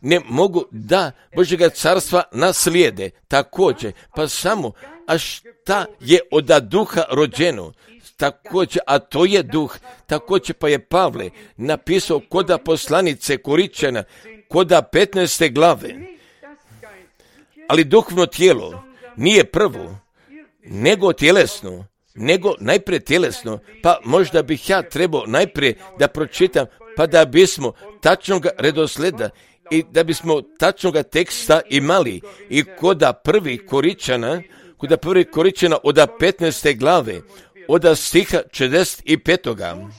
ne mogu da Božjega carstva naslijede. Također, pa samo, a šta je od duha rođeno? Također, a to je duh. Također pa je Pavle napisao koda poslanice Koričana, koda 15. glave. Ali duhovno tijelo nije prvo, nego tjelesno, nego najprije tjelesno. Pa možda bih ja trebao najprije da pročitam, pa da bismo tačnog redosleda i da bismo tačnoga teksta imali i koda prvi Koričana od 15. glave, od stiha 45.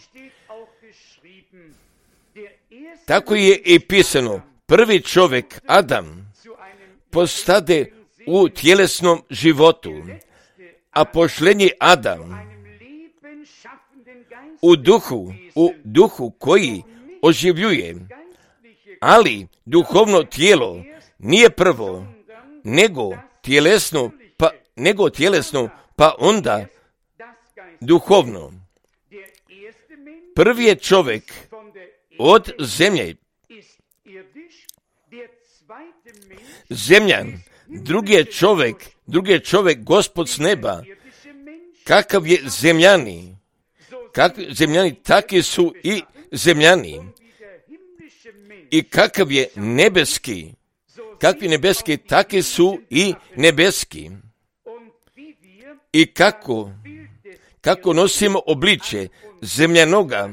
Tako je i pisano, prvi čovjek, Adam, postade u tjelesnom životu, a pošlenji Adam u duhu koji oživljuje. Ali duhovno tijelo nije prvo, nego tjelesno, pa onda duhovno. Prvi je čovjek od zemlje, zemljan, drugi je čovjek Gospod s neba. Kakav je zemljani, takvi su i zemljani. I kakav je nebeski, takvi su i nebeski. I kako nosimo obličje zemljanoga,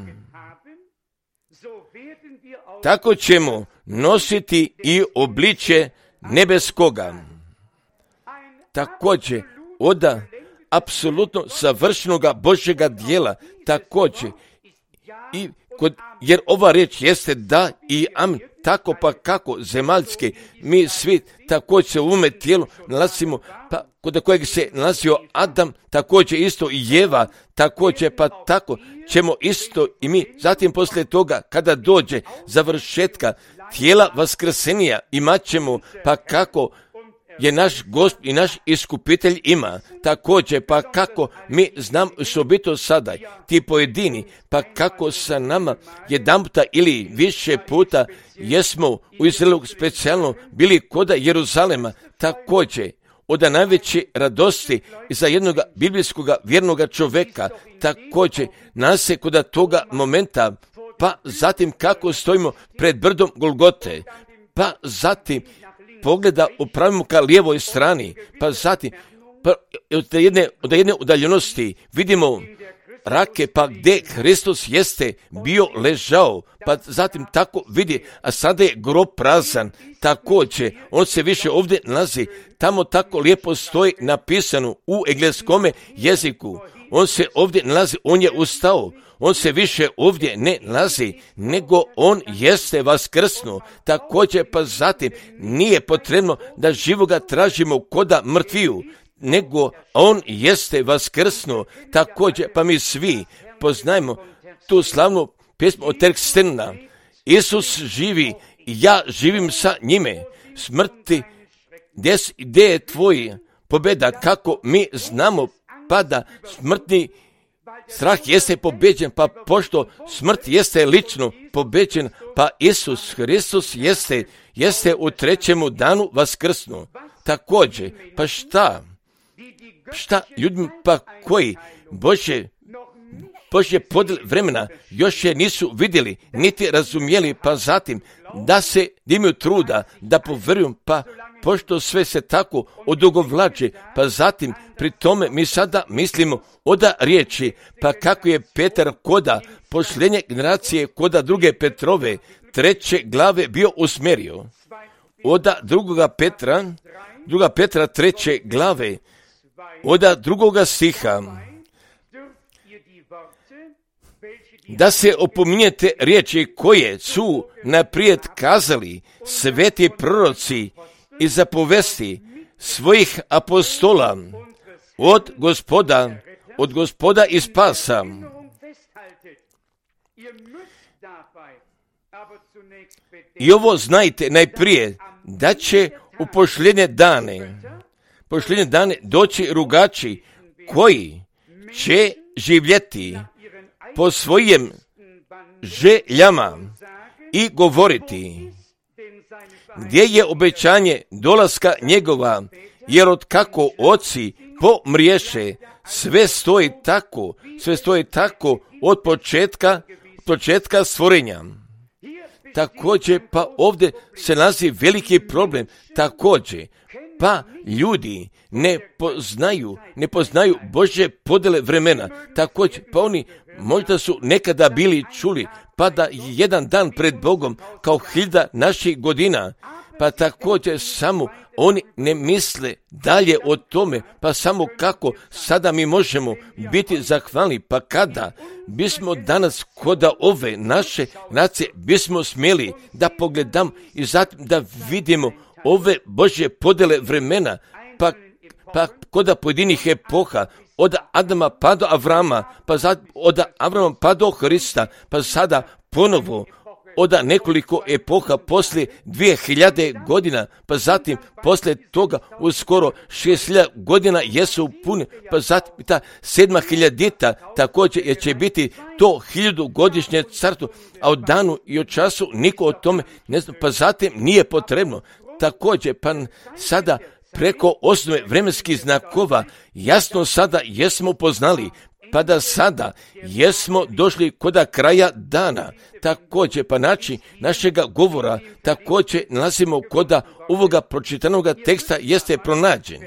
tako ćemo nositi i obličje nebeskoga. Također, od apsolutno savršenoga Božjega djela, također, jer ova riječ jeste da i amin, tako pa kako zemaljske, mi svi također u ovome tijelu nalazimo, pa kod kojeg se nalazio Adam, također isto i Jeva, također pa tako ćemo isto i mi. Zatim poslije toga, kada dođe završetka tijela vaskrsenija, imat ćemo pa kako je naš Gospod i naš iskupitelj ima. Također, pa kako mi znam osobito sada, ti pojedini, pa kako sa nama jedanputa ili više puta jesmo u Izraelu specijalno bili koda Jeruzalema, također od najveće radosti za jednog biblijskog vjernog čovjeka, također nas se kod toga momenta, pa zatim kako stojimo pred brdom Golgote, pa zatim pogleda upravimo ka lijevoj strani, pa zatim od jedne udaljenosti vidimo rake, pa gdje Hristos jeste bio ležao, pa zatim tako vidi, a sada je grob prazan, također, on se više ovdje nalazi, tamo tako lijepo stoji napisano u engleskome jeziku, on se ovdje nalazi, on je ustao, on se više ovdje ne nalazi, nego on jeste vaskrsnuo. Također pa zatim nije potrebno da živoga tražimo koda mrtviju, nego on jeste vaskrsnuo. Također pa mi svi poznajemo tu slavnu pjesmu od Terkstena Isus živi i ja živim sa njime. Smrti, gdje je tvoj pobjeda? Kako mi znamo, pa da smrtni strah jeste pobeđen, pa pošto smrt jeste lično pobeđen, pa Isus Hristos jeste u trećemu danu vaskrsnu. Također, pa šta ljudima pa koji Božje podjel vremena još je nisu vidjeli, niti razumjeli, pa zatim da se imaju truda, da povjeruju, pa pošto sve se tako odugovlači, pa zatim pri tome mi sada mislimo oda riječi, pa kako je Petar koda posljednje generacije, koda druge Petrove, 3. glave bio usmjerio. Oda druga Petra 3. glave, oda 2. stiha, da se opominjete riječi koje su naprijed kazali sveti proroci i zapovesti svojih apostola od Gospoda i spasa. I ovo znajte najprije, da će u posljednje dane doći rugači koji će živjeti po svojim željama i govoriti gdje je obećanje dolaska njegova, jer otkako oci pomriješe, sve stoji tako od početka stvorenja. Također, pa ovdje se nalazi veliki problem, također, pa ljudi ne poznaju Božje podjele vremena, također, pa oni možda su nekada bili čuli, pa da jedan dan pred Bogom kao 1000 naših godina, pa također samo oni ne misle dalje o tome, pa samo kako sada mi možemo biti zahvalni, pa kada bismo danas koda ove naše nacije bismo smjeli da pogledam i zatim da vidimo ove Božje podjele vremena, pa koda pojedinih epoha, od Adama pa do Avrama, pa od Avrama pa do Hrista, pa sada ponovo od nekoliko epoha poslije 2000 godina, pa zatim poslije toga uskoro 6000 godina jesu pune, pa zatim ta 7000 također jer će biti to 1000-godišnje carstvo, a o danu i o času niko o tome ne zna, pa zatim nije potrebno. Također, pa sada preko osnove vremenskih znakova jasno sada jesmo poznali, pa da sada jesmo došli koda kraja dana. Također, pa način našega govora također nalazimo koda ovoga pročitanoga teksta jeste pronađen.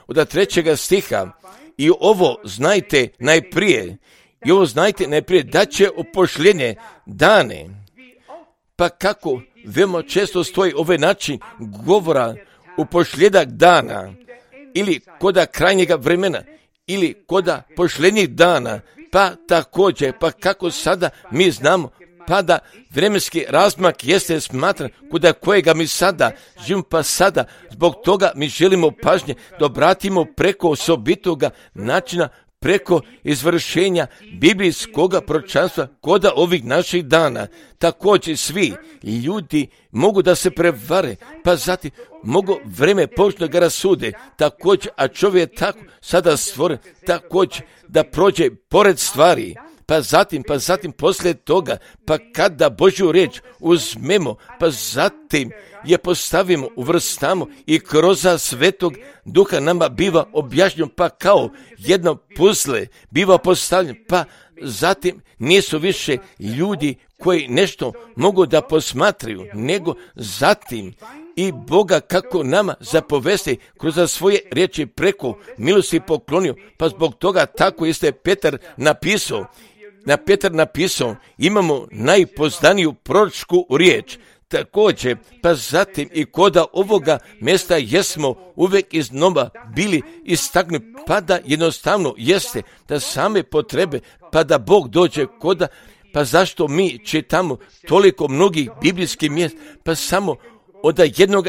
Od 3. stiha, i ovo znajte najprije, da će u posljednje dane, pa kako veoma često stoji ovaj način govora u posljedak dana, ili koda krajnjega vremena, ili koda posljednjih dana, pa također, pa kako sada mi znamo, pa da vremenski razmak jeste smatran koda kojega mi sada živimo, pa sada zbog toga mi želimo pažnje da obratimo preko osobitoga načina, preko izvršenja biblijskoga proročanstva koda ovih naših dana. Također svi ljudi mogu da se prevare, pa zatim mogu vreme površno ga rasude, također, a čovjek je tako sada stvoren, također da prođe pored stvari, pa zatim poslije toga, pa kada Božju riječ uzmemo, pa zatim je postavimo, uvrstamo i kroz Svetog Duha nama biva objašnjeno, pa kao jedno puzle biva postavljeno, pa zatim nisu više ljudi koji nešto mogu da posmatraju, nego zatim i Boga kako nama zapovesti kroz svoje riječi preko milosti poklonio, pa zbog toga tako jeste Petar napisao, imamo najpoznaniju proročku riječ. Također, pa zatim i koda ovoga mjesta jesmo uvijek iznova bili istaknuti, pa da jednostavno jeste da same potrebe, pa da Bog dođe koda, pa zašto mi čitamo toliko mnogih biblijskih mjesta, pa samo od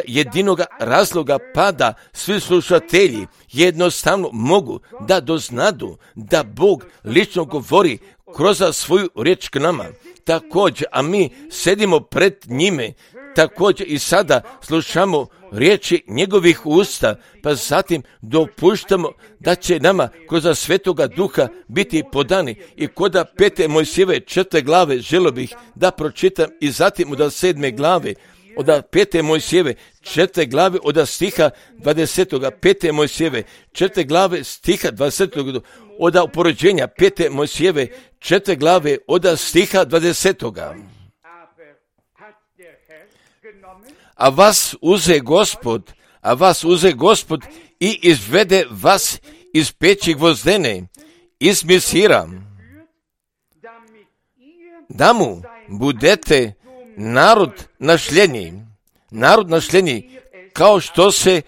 jedinoga razloga, pa da svi slušatelji jednostavno mogu da doznadu da Bog lično govori kroz svoju riječ k nama. također, a mi sedimo pred njime, također i sada slušamo riječi njegovih usta, pa zatim dopuštamo da će nama kroz Svetoga Duha biti podani. I koda 5. Mojsijeve 4. glave želio bih da pročitam i zatim od 7. glave, od 5. Mojsijeve 4. glave od stiha 20. 5. Mojsijeve 4. glave stiha 20. od uporođenja 5. Mojsijeve 4. glave od stiha 20. A vas uze Gospod i izvede vas iz peći gvozdene, iz Misira, da mu budete narod našljenji, kao što se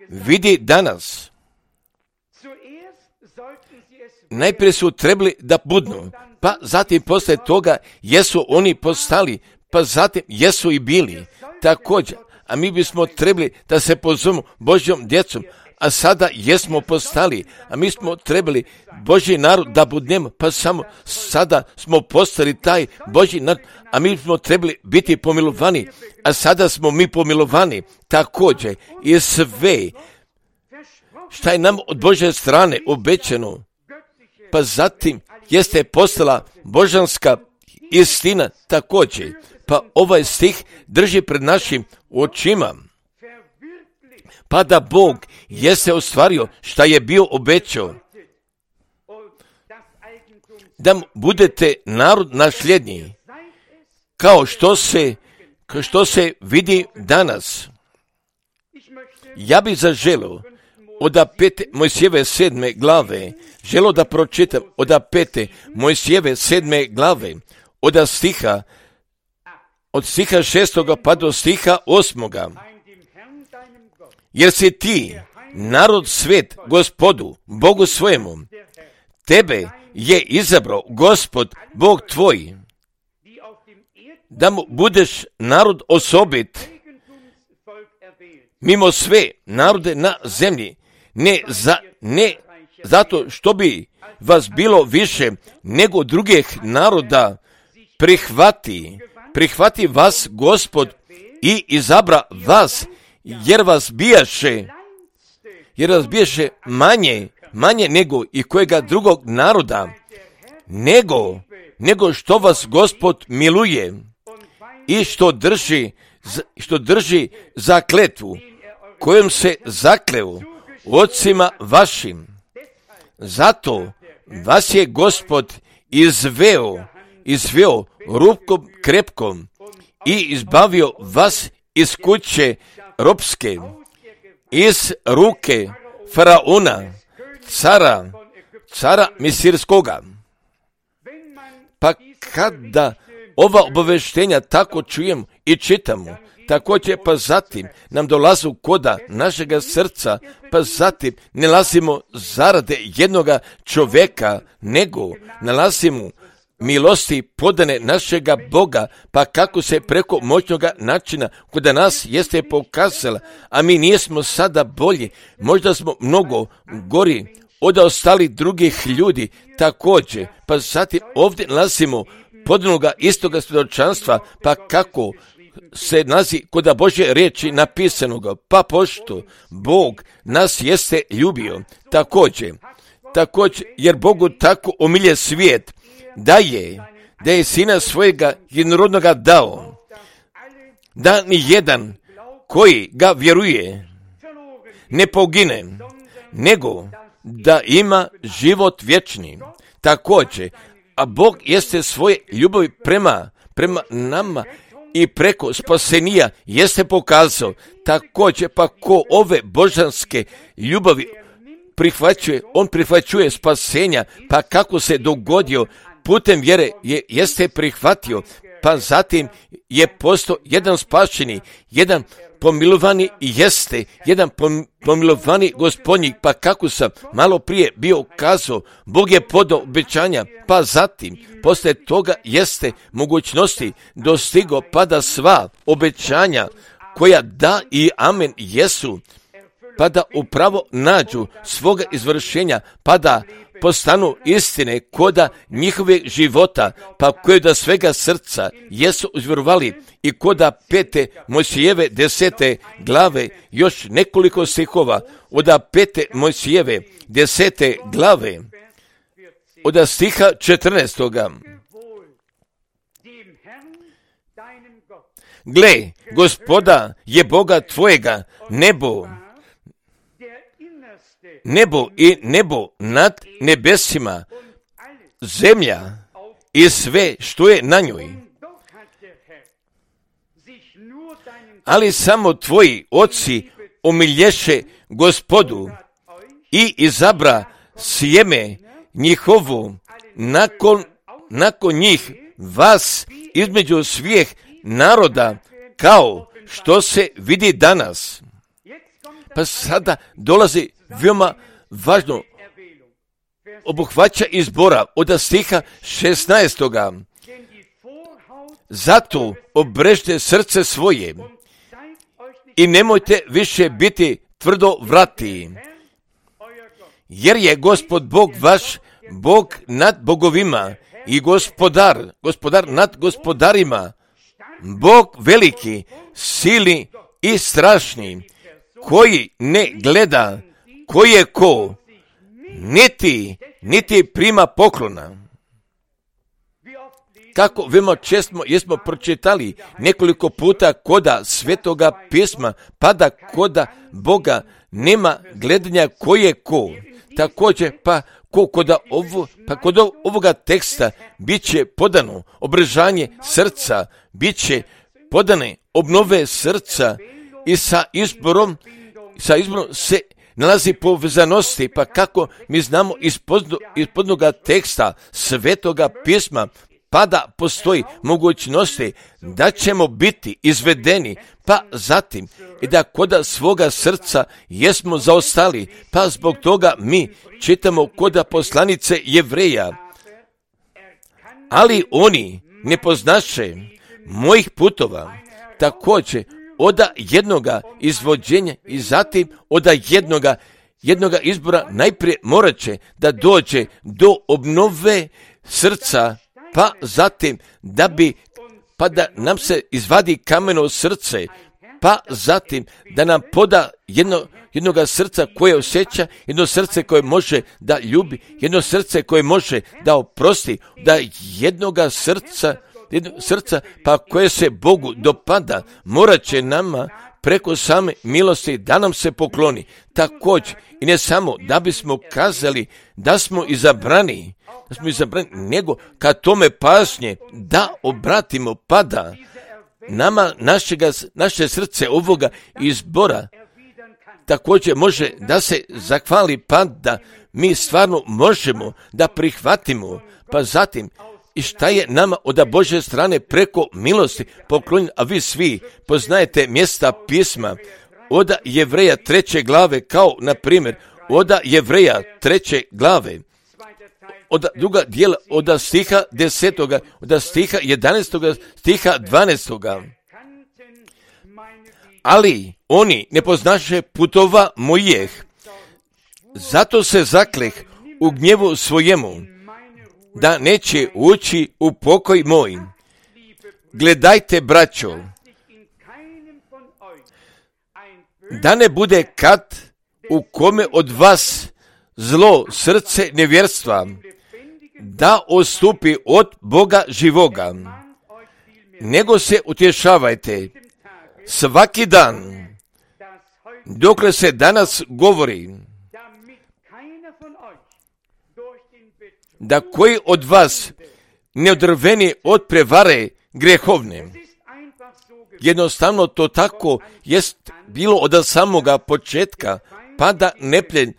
vidi danas. Najprije su trebali da budnu, pa zatim posle toga jesu oni postali, pa zatim jesu i bili. Također, a mi bismo trebali da se pozovemo Božjom djecom, a sada jesmo postali, a mi smo trebali Božji narod da budnemo, pa samo sada smo postali taj Božji narod, a mi smo trebali biti pomilovani, a sada smo mi pomilovani. Također, i sve šta je nam od Božje strane obećano, pa zatim jeste postala božanska istina također. Pa ovaj stih drži pred našim očima. Pa da Bog jeste ostvario šta je bio obećao. Da budete narod nasljednji, kao što se vidi danas. Ja bih zaželio od 5. Mojsijeve 7. glave, želio da pročitam od 5. Mojsijeve 7. glave, od stiha 6. pa do stiha 8. Jer si ti narod svet Gospodu, Bogu svojemu. Tebe je izabrao Gospod, Bog tvoj, da mu budeš narod osobit, mimo sve narode na zemlji, ne zato što bi vas bilo više nego drugih naroda, prihvati vas Gospod i izabra vas, jer vas bijaše manje nego i kojega drugog naroda, nego što vas Gospod miluje i što drži zakletvu, kojom se zakleo ocima Zato vas je Gospod izveo rukom krepkom i izbavio vas iz kuće ropske, iz ruke faraona, cara Misirskoga. Pa kada ova obaveštenja tako čujemo i čitamo, također pa zatim nam dolazu koda našega srca, pa zatim ne nalazimo zarade jednoga čovjeka, nego nalazimo milosti podane našega Boga, pa kako se preko moćnoga načina kod nas jeste pokazala, a mi nismo sada bolji, možda smo mnogo gori od ostalih drugih ljudi također, pa zatim ovdje nalazimo podanoga istoga svjedočanstva, pa kako se nalazi kod Božje riječi napisanoga, pa pošto Bog nas jeste ljubio također, jer Bogu tako omilje svijet, da je sina svojega jednorodnoga dao, da ni jedan koji ga vjeruje ne pogine, nego da ima život vječni. Također, a Bog jeste svoje ljubavi prema nama i preko spasenija jeste pokazao. Također, pa ko ove božanske ljubavi prihvaćuje, on prihvaćuje spasenja, pa kako se dogodio putem vjere jeste prihvatio, pa zatim je postao jedan spašeni, jedan pomilovani jeste, jedan pomilovani gospodnji, pa kako sam malo prije bio kazao, Bog je podao obećanja, pa zatim poslije toga jeste mogućnosti dostigo, pa da sva obećanja koja da i amen jesu, pa da upravo nađu svoga izvršenja, pa da postanu istine koda njihove života, pa koje da svega srca jesu uzvjerovali i koda 5. Mojsijeve 10. glave još nekoliko stihova, od 5. Mojsijeve 10. glave, od stiha 14. Gle, Gospoda je Boga tvojega, nebo i nebo nad nebesima, zemlja i sve što je na njoj. Ali samo tvoji oci omilješe Gospodu i izabra sjeme njihovu nakon njih vas između svih naroda, kao što se vidi danas. Pa sada dolazi veoma važno obuhvaća izbora od stiha 16. Zato obrežite srce svoje i nemojte više biti tvrdo vrati, jer je Gospod Bog vaš, Bog nad bogovima i gospodar nad gospodarima, Bog veliki, silni i strašni, koji ne gleda ko je ko, niti prima poklona. Kako veoma često jesmo pročitali nekoliko puta koda Svetoga pisma, pa da koda Boga nema gledanja ko je ko. Također, kod ovoga teksta bit će podano obrežanje srca, bit će podane obnove srca i sa izborom se nalazi povezanosti, pa kako mi znamo iz podnoga teksta Svetoga pisma, pa da postoji mogućnosti da ćemo biti izvedeni, pa zatim i da koda svoga srca jesmo zaostali, pa zbog toga mi čitamo koda poslanice Jevreja. Ali oni ne poznaše mojih putova, također od jednoga izvođenja i zatim od jednoga izbora najprije morat će da dođe do obnove srca, pa zatim da nam se izvadi kameno srce, pa zatim da nam poda jednoga srca koje osjeća, jedno srce koje može da ljubi, jedno srce koje može da oprosti, da jednoga srca pa koje se Bogu dopada, morat će nama preko same milosti da nam se pokloni. Također, i ne samo da bismo kazali da smo izabrani, nego kad tome pažnje da obratimo, pada nama naše srce ovoga izbora također može da se zahvali, pa da mi stvarno možemo da prihvatimo, pa zatim i šta je nama od Božje strane preko milosti poklonjeno, a vi svi poznajete mjesta pisma od Jevreja 3. glave, kao na primjer od Jevreja 3. glave, od druga dijela, od stiha 10. od stiha 11. stiha 12. Ali oni ne poznaše putova mojih, zato se zakleh u gnjevu svojemu, da neće ući u pokoj moj. Gledajte, braćo, da ne bude kad u kome od vas zlo srce nevjerstva, da odstupi od Boga živoga, nego se utješavajte svaki dan, dokle se danas govori, da koji od vas ne odrveni od prevare grehovne. Jednostavno to tako jest bilo od samoga početka, pa da nepljen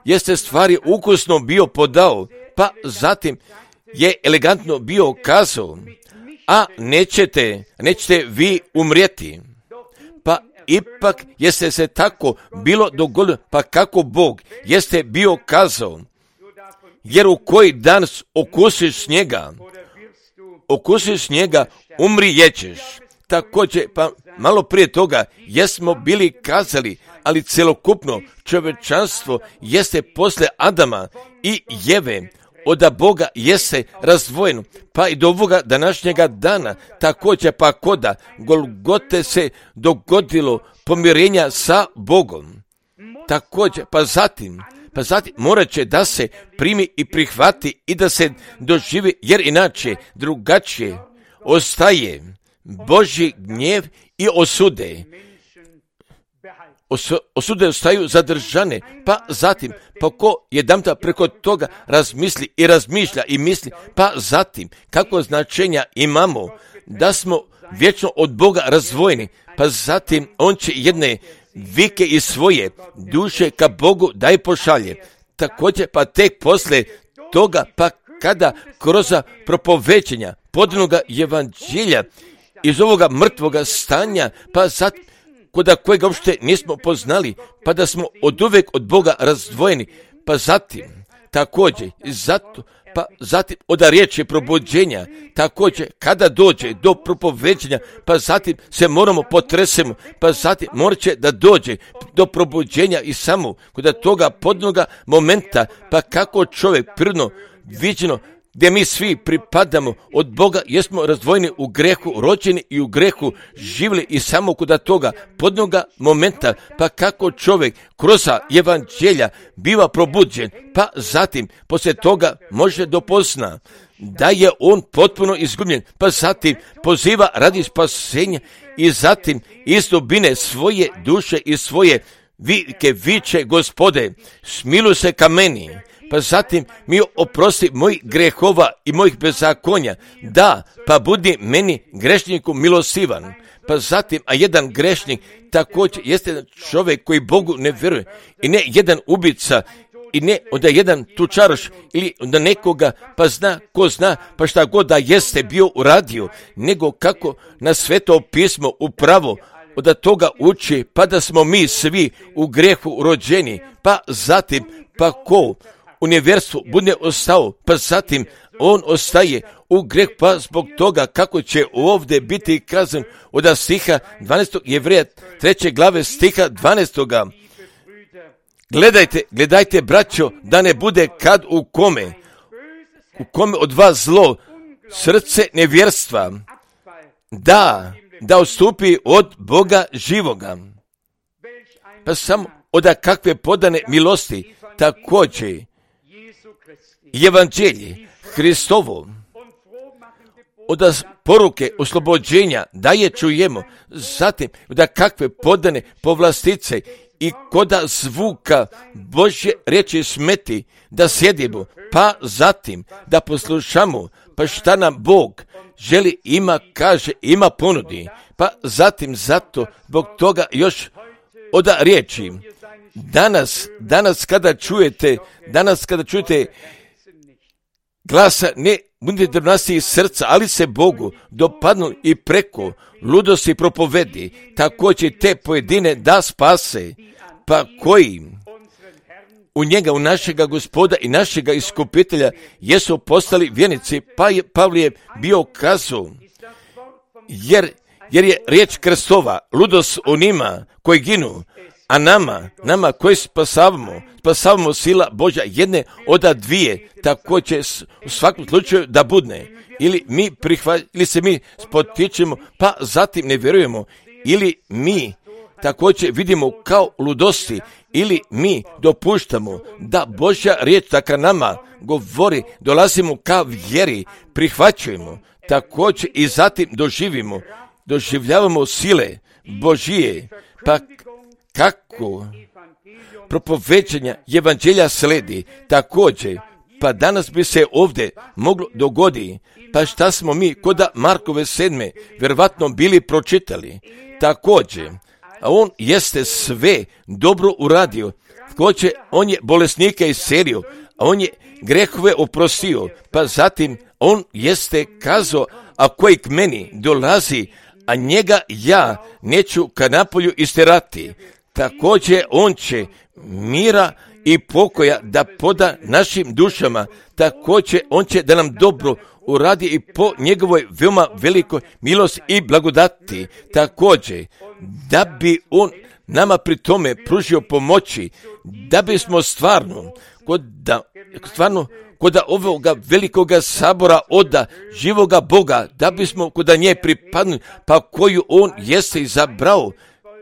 jeste stvari ukusno bio podao, pa zatim je elegantno bio kazao, a nećete vi umrijeti. Pa ipak jeste se tako bilo dogodilo, pa kako Bog jeste bio kazao, jer u koji dan okusiš njega, umrijećeš. također, pa malo prije toga, jesmo bili kazali, ali celokupno čovječanstvo jeste posle Adama i Jeve, od Boga jeste razdvojeno, pa i do ovoga današnjega dana, također pa koda Golgote se dogodilo pomirenja sa Bogom. Također, pa zatim morat će da se primi i prihvati i da se doživi, jer inače drugačije ostaje Božji gnjev i osude. Osude ostaju zadržane, pa zatim, pa ko jedanputa preko toga razmisli i razmišlja i misli, pa zatim, kako značenja imamo da smo vječno od Boga razdvojeni, pa zatim on će jedne vike iz svoje duše ka Bogu da je pošalje. Također, pa tek posle toga, pa kada kroz propovećenja podanoga evanđelja iz ovoga mrtvoga stanja, pa zatim, koda kojega uopšte nismo poznali, pa da smo oduvek od Boga razdvojeni, pa zatim, također, zatim od riječi probuđenja, također, kada dođe do propoveđenja, pa zatim se moramo potresemo, pa zatim morat će da dođe do probuđenja i samo kod toga podnoga momenta, pa kako čovjek prirodno viđeno, gdje mi svi pripadamo od Boga, jesmo razdvojeni u grehu, rođeni i u grehu živjeli i samo kod toga podnoga momenta, pa kako čovjek kroz evanđelja biva probuđen, pa zatim poslije toga može dopozna da je on potpuno izgubljen, pa zatim poziva radi spasenja i zatim iz dubine svoje duše i svoje vike viče: Gospode, smiluj se ka meni. Pa zatim mi oprosti mojih grehova i mojih bezakonja. Da, pa budi meni grešniku milostivan. Pa zatim, a jedan grešnik također jeste čovjek koji Bogu ne vjeruje. I ne jedan ubica, i ne onda jedan tučaroš ili onda nekoga, pa zna, ko zna, pa šta god da jeste bio uradio, nego kako na Sveto pismo upravo od toga uči, pa da smo mi svi u grehu rođeni, pa zatim, pa ko u nevjerstvu bude ostao, pa zatim on ostaje u greh, pa zbog toga kako će ovdje biti kazan od stiha 12. Jevreja 3. glave stiha 12. Gledajte, braćo, da ne bude kad u kome od vas zlo, srce nevjerstva, da odstupi od Boga živoga. Pa samo od kakve podane milosti, također evanđelje Hristovo, od poruke oslobođenja da je čujemo, zatim da kakve podane povlastice i koda zvuka Božje riječi smeti da sjedimo, pa zatim da poslušamo, pa šta nam Bog želi, ima, kaže, ima ponudi, pa zatim zato zbog toga još od riječi. Danas kada čujete glasa, ne budite drvnasti iz srca, ali se Bogu dopadnu i preko ludosti propovedi, također te pojedine da spase, pa koji u njega, u našega Gospoda i našega iskupitelja jesu postali vjernici, pa je Pavle bio kazao, jer je riječ Kristova ludost onima koji ginu, a nama koji spasavamo sila Božja jedne od dvije, tako će u svakom slučaju da budne. Ili se mi spotičemo, pa zatim ne vjerujemo, ili mi također vidimo kao ludosti, ili mi dopuštamo da Božja riječ taka nama govori, dolazimo ka vjeri, prihvaćujemo, također i zatim doživljavamo sile Božije, pa kako propoveđenja evanđelja sledi, također, pa danas bi se ovdje moglo dogoditi, pa šta smo mi koda Markove 7. vjerovatno bili pročitali, također, a on jeste sve dobro uradio, također on je bolesnike iscelio, a on je grehove oprostio, pa zatim on jeste kazao, a koji k meni dolazi, a njega ja neću ka napolju isterati. Također on će mira i pokoja da poda našim dušama, također on će da nam dobro uradi i po njegovoj veoma velikoj milosti i blagodati, također da bi on nama pri tome pružio pomoći, da bismo stvarno kod ovoga velikoga sabora oda živoga Boga, da bismo kod nje pripadnuli, pa koju on jeste izabrao,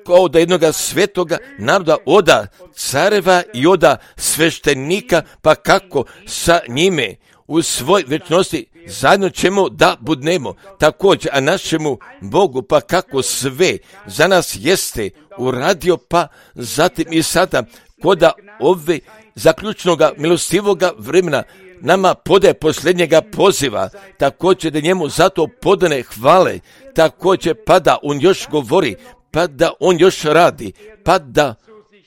kao da jednoga svetoga naroda, oda careva i oda sveštenika, pa kako sa njime u svoj večnosti zajedno ćemo da budnemo, također, a našemu Bogu, pa kako sve za nas jeste uradio, pa zatim i sada, koda ove zaključnoga milostivoga vremena nama podaje posljednjega poziva, također da njemu zato podane hvale, također pa da on još govori, pa da on još radi, pa da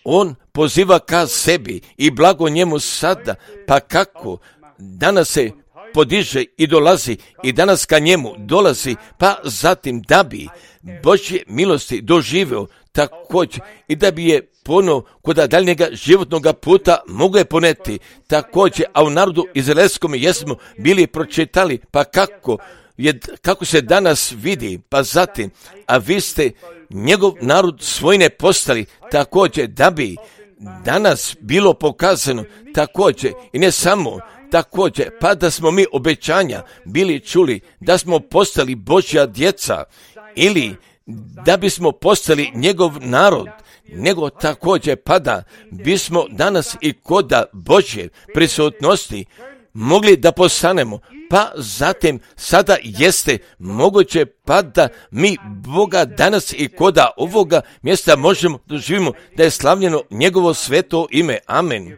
on poziva ka sebi i blago njemu sada, pa kako danas se podiže i dolazi i danas ka njemu dolazi, pa zatim da bi Božje milosti doživio također i da bi je ponovo kod daljnjega životnog puta mogu je poneti također, a u narodu izraelskom jesmo bili pročitali, pa kako se danas vidi, pa zatim, a vi ste njegov narod svojine postali, također da bi danas bilo pokazano, također i ne samo, također pa da smo mi obećanja bili čuli, da smo postali Božja djeca ili da bismo postali njegov narod, nego također pa da bismo danas i koda Božje prisutnosti mogli da postanemo, pa zatim sada jeste moguće pa da mi Boga danas i koda ovoga mjesta možemo doživimo da je slavljeno njegovo sveto ime. Amen.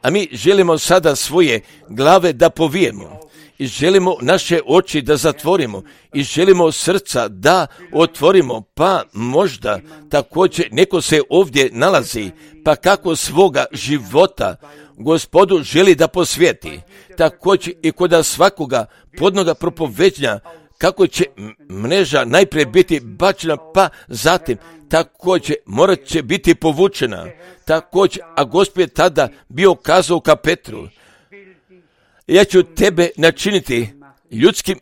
A mi želimo sada svoje glave da povijemo i želimo naše oči da zatvorimo i želimo srca da otvorimo, pa možda također neko se ovdje nalazi, pa kako svoga života Gospodu želi da posvijeti, također i kod svakoga podnoga propoveđenja, kako će mreža najprije biti bačena, pa zatim također morat će biti povučena, također, a Gospod je tada bio kazao ka Petru, ja ću tebe načiniti ljudskim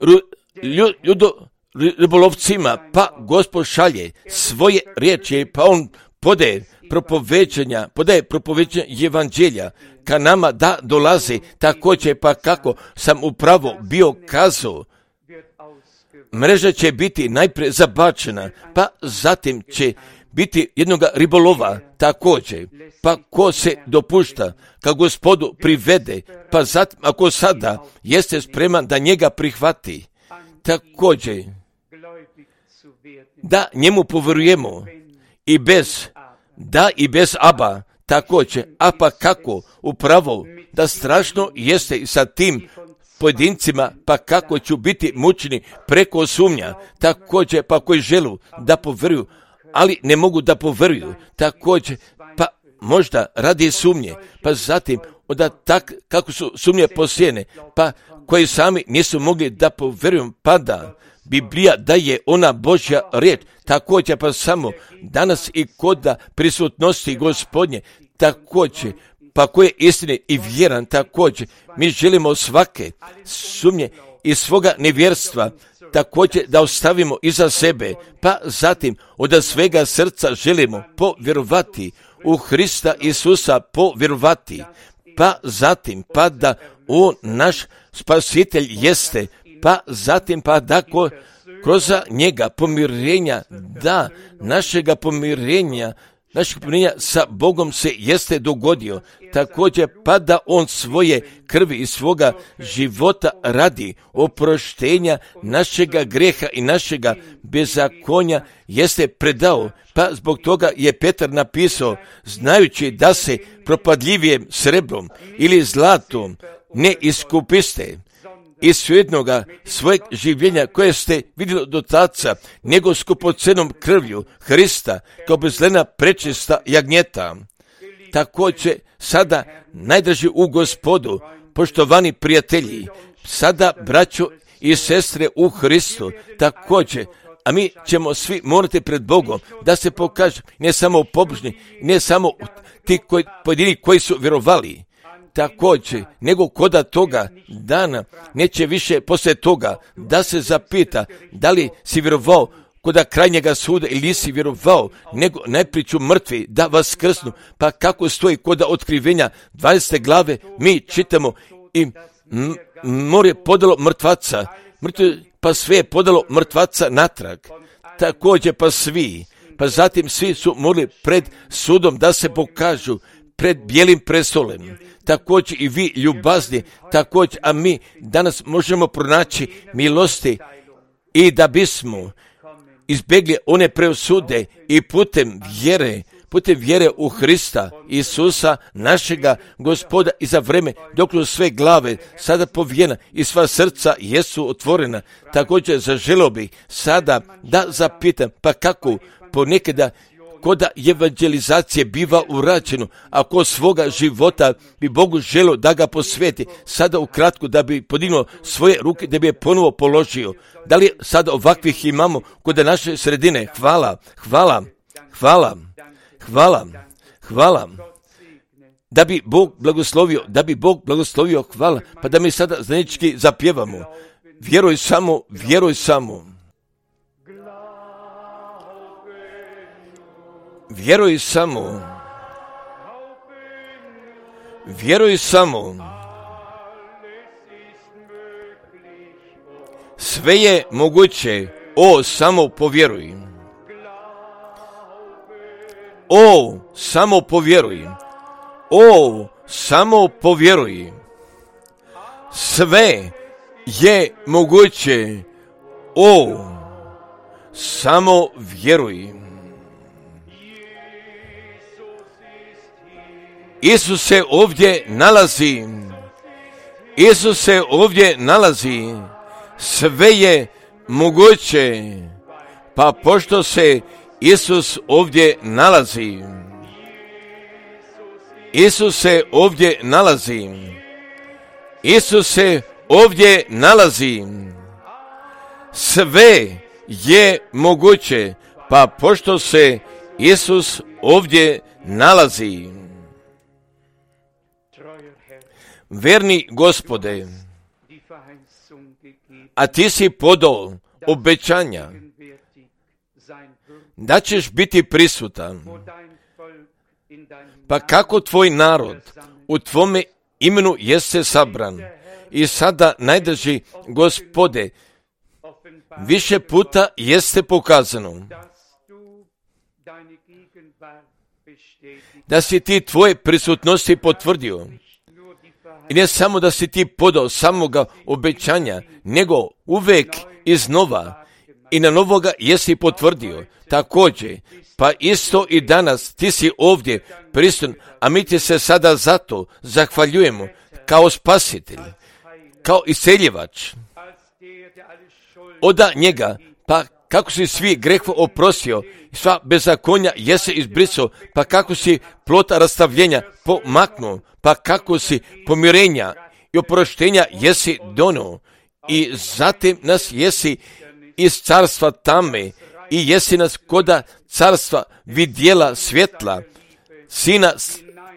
ribolovcima, pa Gospod šalje svoje riječi, pa on podaje propoveđenja evanđelja ka nama da dolazi, također pa kako sam upravo bio kazao, mreža će biti najprije zabačena, pa zatim će biti jednoga ribolova također, pa ko se dopušta, ka Gospodu privede, pa zatim ako sada jeste spreman da njega prihvati, također da njemu povjerujemo i bez Aba, također, a pa kako upravo da strašno jeste i sa tim pojedincima, pa kako ću biti mučeni preko sumnja, također pa koji želu da povjeruju, ali ne mogu da povjeruju, također pa možda radi sumnje, pa zatim onda kako su sumnje posijene, pa koji sami nisu mogli da povjeruju, pa da Biblija da je ona Božja riječ, također pa samo danas i kod prisutnosti Gospodnje, također pa koje istine i vjeran, također mi želimo svake sumnje i svoga nevjerstva također da ostavimo iza sebe, pa zatim od svega srca želimo povjerovati u Hrista Isusa, povjerovati, pa zatim pa da on naš spasitelj jeste, pa zatim pa da kroz njega pomirenja, da našega pomirenja sa Bogom se jeste dogodio, također pa da on svoje krvi i svoga života radi oproštenja našega greha i našega bezakonja jeste predao, pa zbog toga je Petar napisao, znajući da se propadljivijim srebrom ili zlatom ne iskupiste iz svjetnoga svojeg življenja koje ste vidjeli do taca, nego skupocenom krvlju Hrista kao bezlena prečista jagnjeta. Također sada najdraži u Gospodu, poštovani prijatelji, sada braćo i sestre u Hristu, također, a mi ćemo svi morati pred Bogom da se pokaže ne samo pobožni, ne samo ti pojedini koji su vjerovali, također, nego koda toga dana neće više poslije toga da se zapita da li si vjerovao koda krajnjega suda ili nisi vjerovao, nego najprije ću mrtvi da vaskrsnu. Pa kako stoji koda otkrivenja 20. glave, mi čitamo i more podalo mrtvaca, pa sve je podalo mrtvaca natrag. Također pa zatim svi su morali pred sudom da se pokažu pred bijelim prestolem. Također i vi ljubazni, također, a mi danas možemo pronaći milosti i da bismo izbjegli one presude i putem vjere u Hrista Isusa, našega Gospoda, i za vreme dok sve glave sada povijena i sva srca jesu otvorena. Također zaželio bih sada da zapitam, pa kako ponekada koda evangelizacije biva urađeno, ako svoga života bi Bogu želio da ga posveti, sada ukratko da bi podignuo svoje ruke, da bi je ponovo položio. Da li sada ovakvih imamo kod naše sredine? Hvala. Da bi Bog blagoslovio, hvala. Pa da mi sada zajednički zapjevamo. Vjeruj samo. Vjeruj samo. Sve je moguće, samo povjeruj. Samo povjeruj. Sve je moguće, samo vjeruj. Isus se ovdje nalazi. Sve je moguće, pa pošto se Isus ovdje nalazi, sve je moguće, pa pošto se Isus ovdje nalazi. Verni Gospode, a ti si podao obećanja da ćeš biti prisutan, pa kako tvoj narod u tvome imenu jeste sabran. I sada, najdrži Gospode, više puta jeste pokazano da si ti tvoje prisutnosti potvrdio. I ne samo da si ti podao samoga obećanja, nego uvek iznova i na novoga jesi potvrdio. Također, pa isto i danas ti si ovdje prisutan, a mi ti se sada zato zahvaljujemo kao spasitelj, kao iseljivač. Oda njega, pa kako si svi grehova oprostio, sva bezakonja jesi izbrisao, pa kako si plota rastavljenja pomaknuo, pa kako si pomirenja i oproštenja jesi donio, i zatim nas jesi iz carstva tame i jesi nas koda carstva vidjela svjetla, sina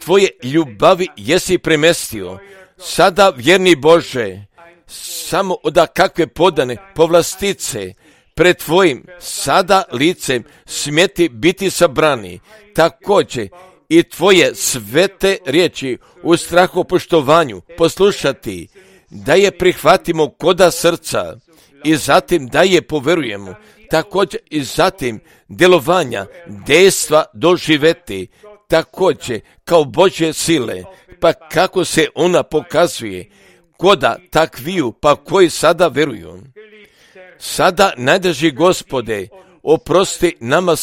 tvoje ljubavi jesi premestio. Sada, vjerni Bože, samo oda kakve podane povlastice pred tvojim sada licem smjeti biti sabrani. Također i tvoje svete riječi u strahopoštovanju poslušati, da je prihvatimo koda srca i zatim da je poverujemo. Također i zatim djelovanja, dejstva doživeti, također kao Božje sile, pa kako se ona pokazuje koda takviju, pa koji sada veruju. Sada, najdrži Gospode, oprosti nama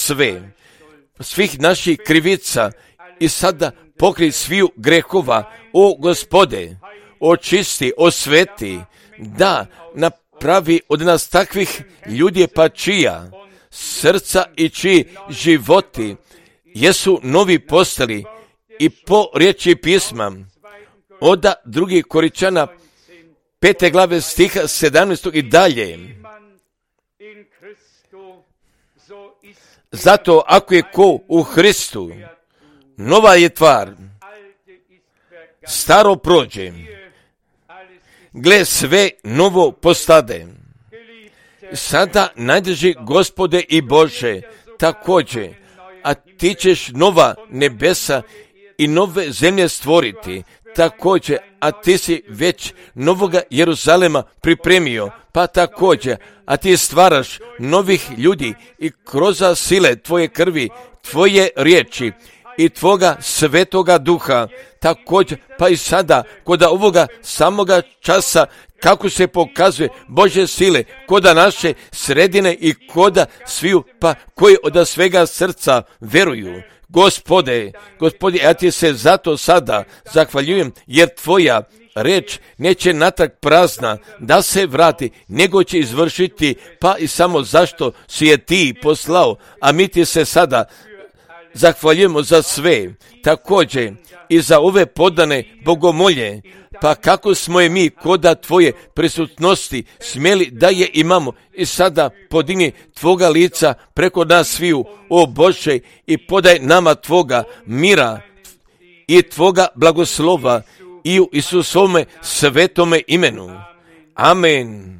svih naših krivica i sada pokrij sviju grehova, o Gospode, očisti, osveti, da napravi od nas takvih ljudi, pa čija srca i čiji životi jesu novi postali i po riječi pisma oda 2. Korinčana 5. glave stiha 17. i dalje. Zato ako je ko u Hristu, nova je tvar, staro prođe, gle sve novo postade. Sada najdrži Gospode i Bože, također, a ti ćeš nova nebesa i nove zemlje stvoriti, također, a ti si već novoga Jeruzalema pripremio, pa također, a ti stvaraš novih ljudi i kroz sile tvoje krvi, tvoje riječi i tvoga svetoga duha, također, pa i sada, kod ovoga samoga časa, kako se pokazuje Božje sile, koda naše sredine i koda sviju, pa koji od svega srca veruju. Gospode, ja ti se zato sada zahvaljujem, jer tvoja reč neće natrag prazna da se vrati, nego će izvršiti, pa i samo zašto si je ti poslao, a mi ti se sada zahvaljujemo za sve, također i za ove podane bogomolje, pa kako smo je mi koda tvoje prisutnosti smjeli da je imamo i sada podigni tvoga lica preko nas sviju, o Bože, i podaj nama tvoga mira i tvoga blagoslova i u Isusovome svetome imenu. Amen.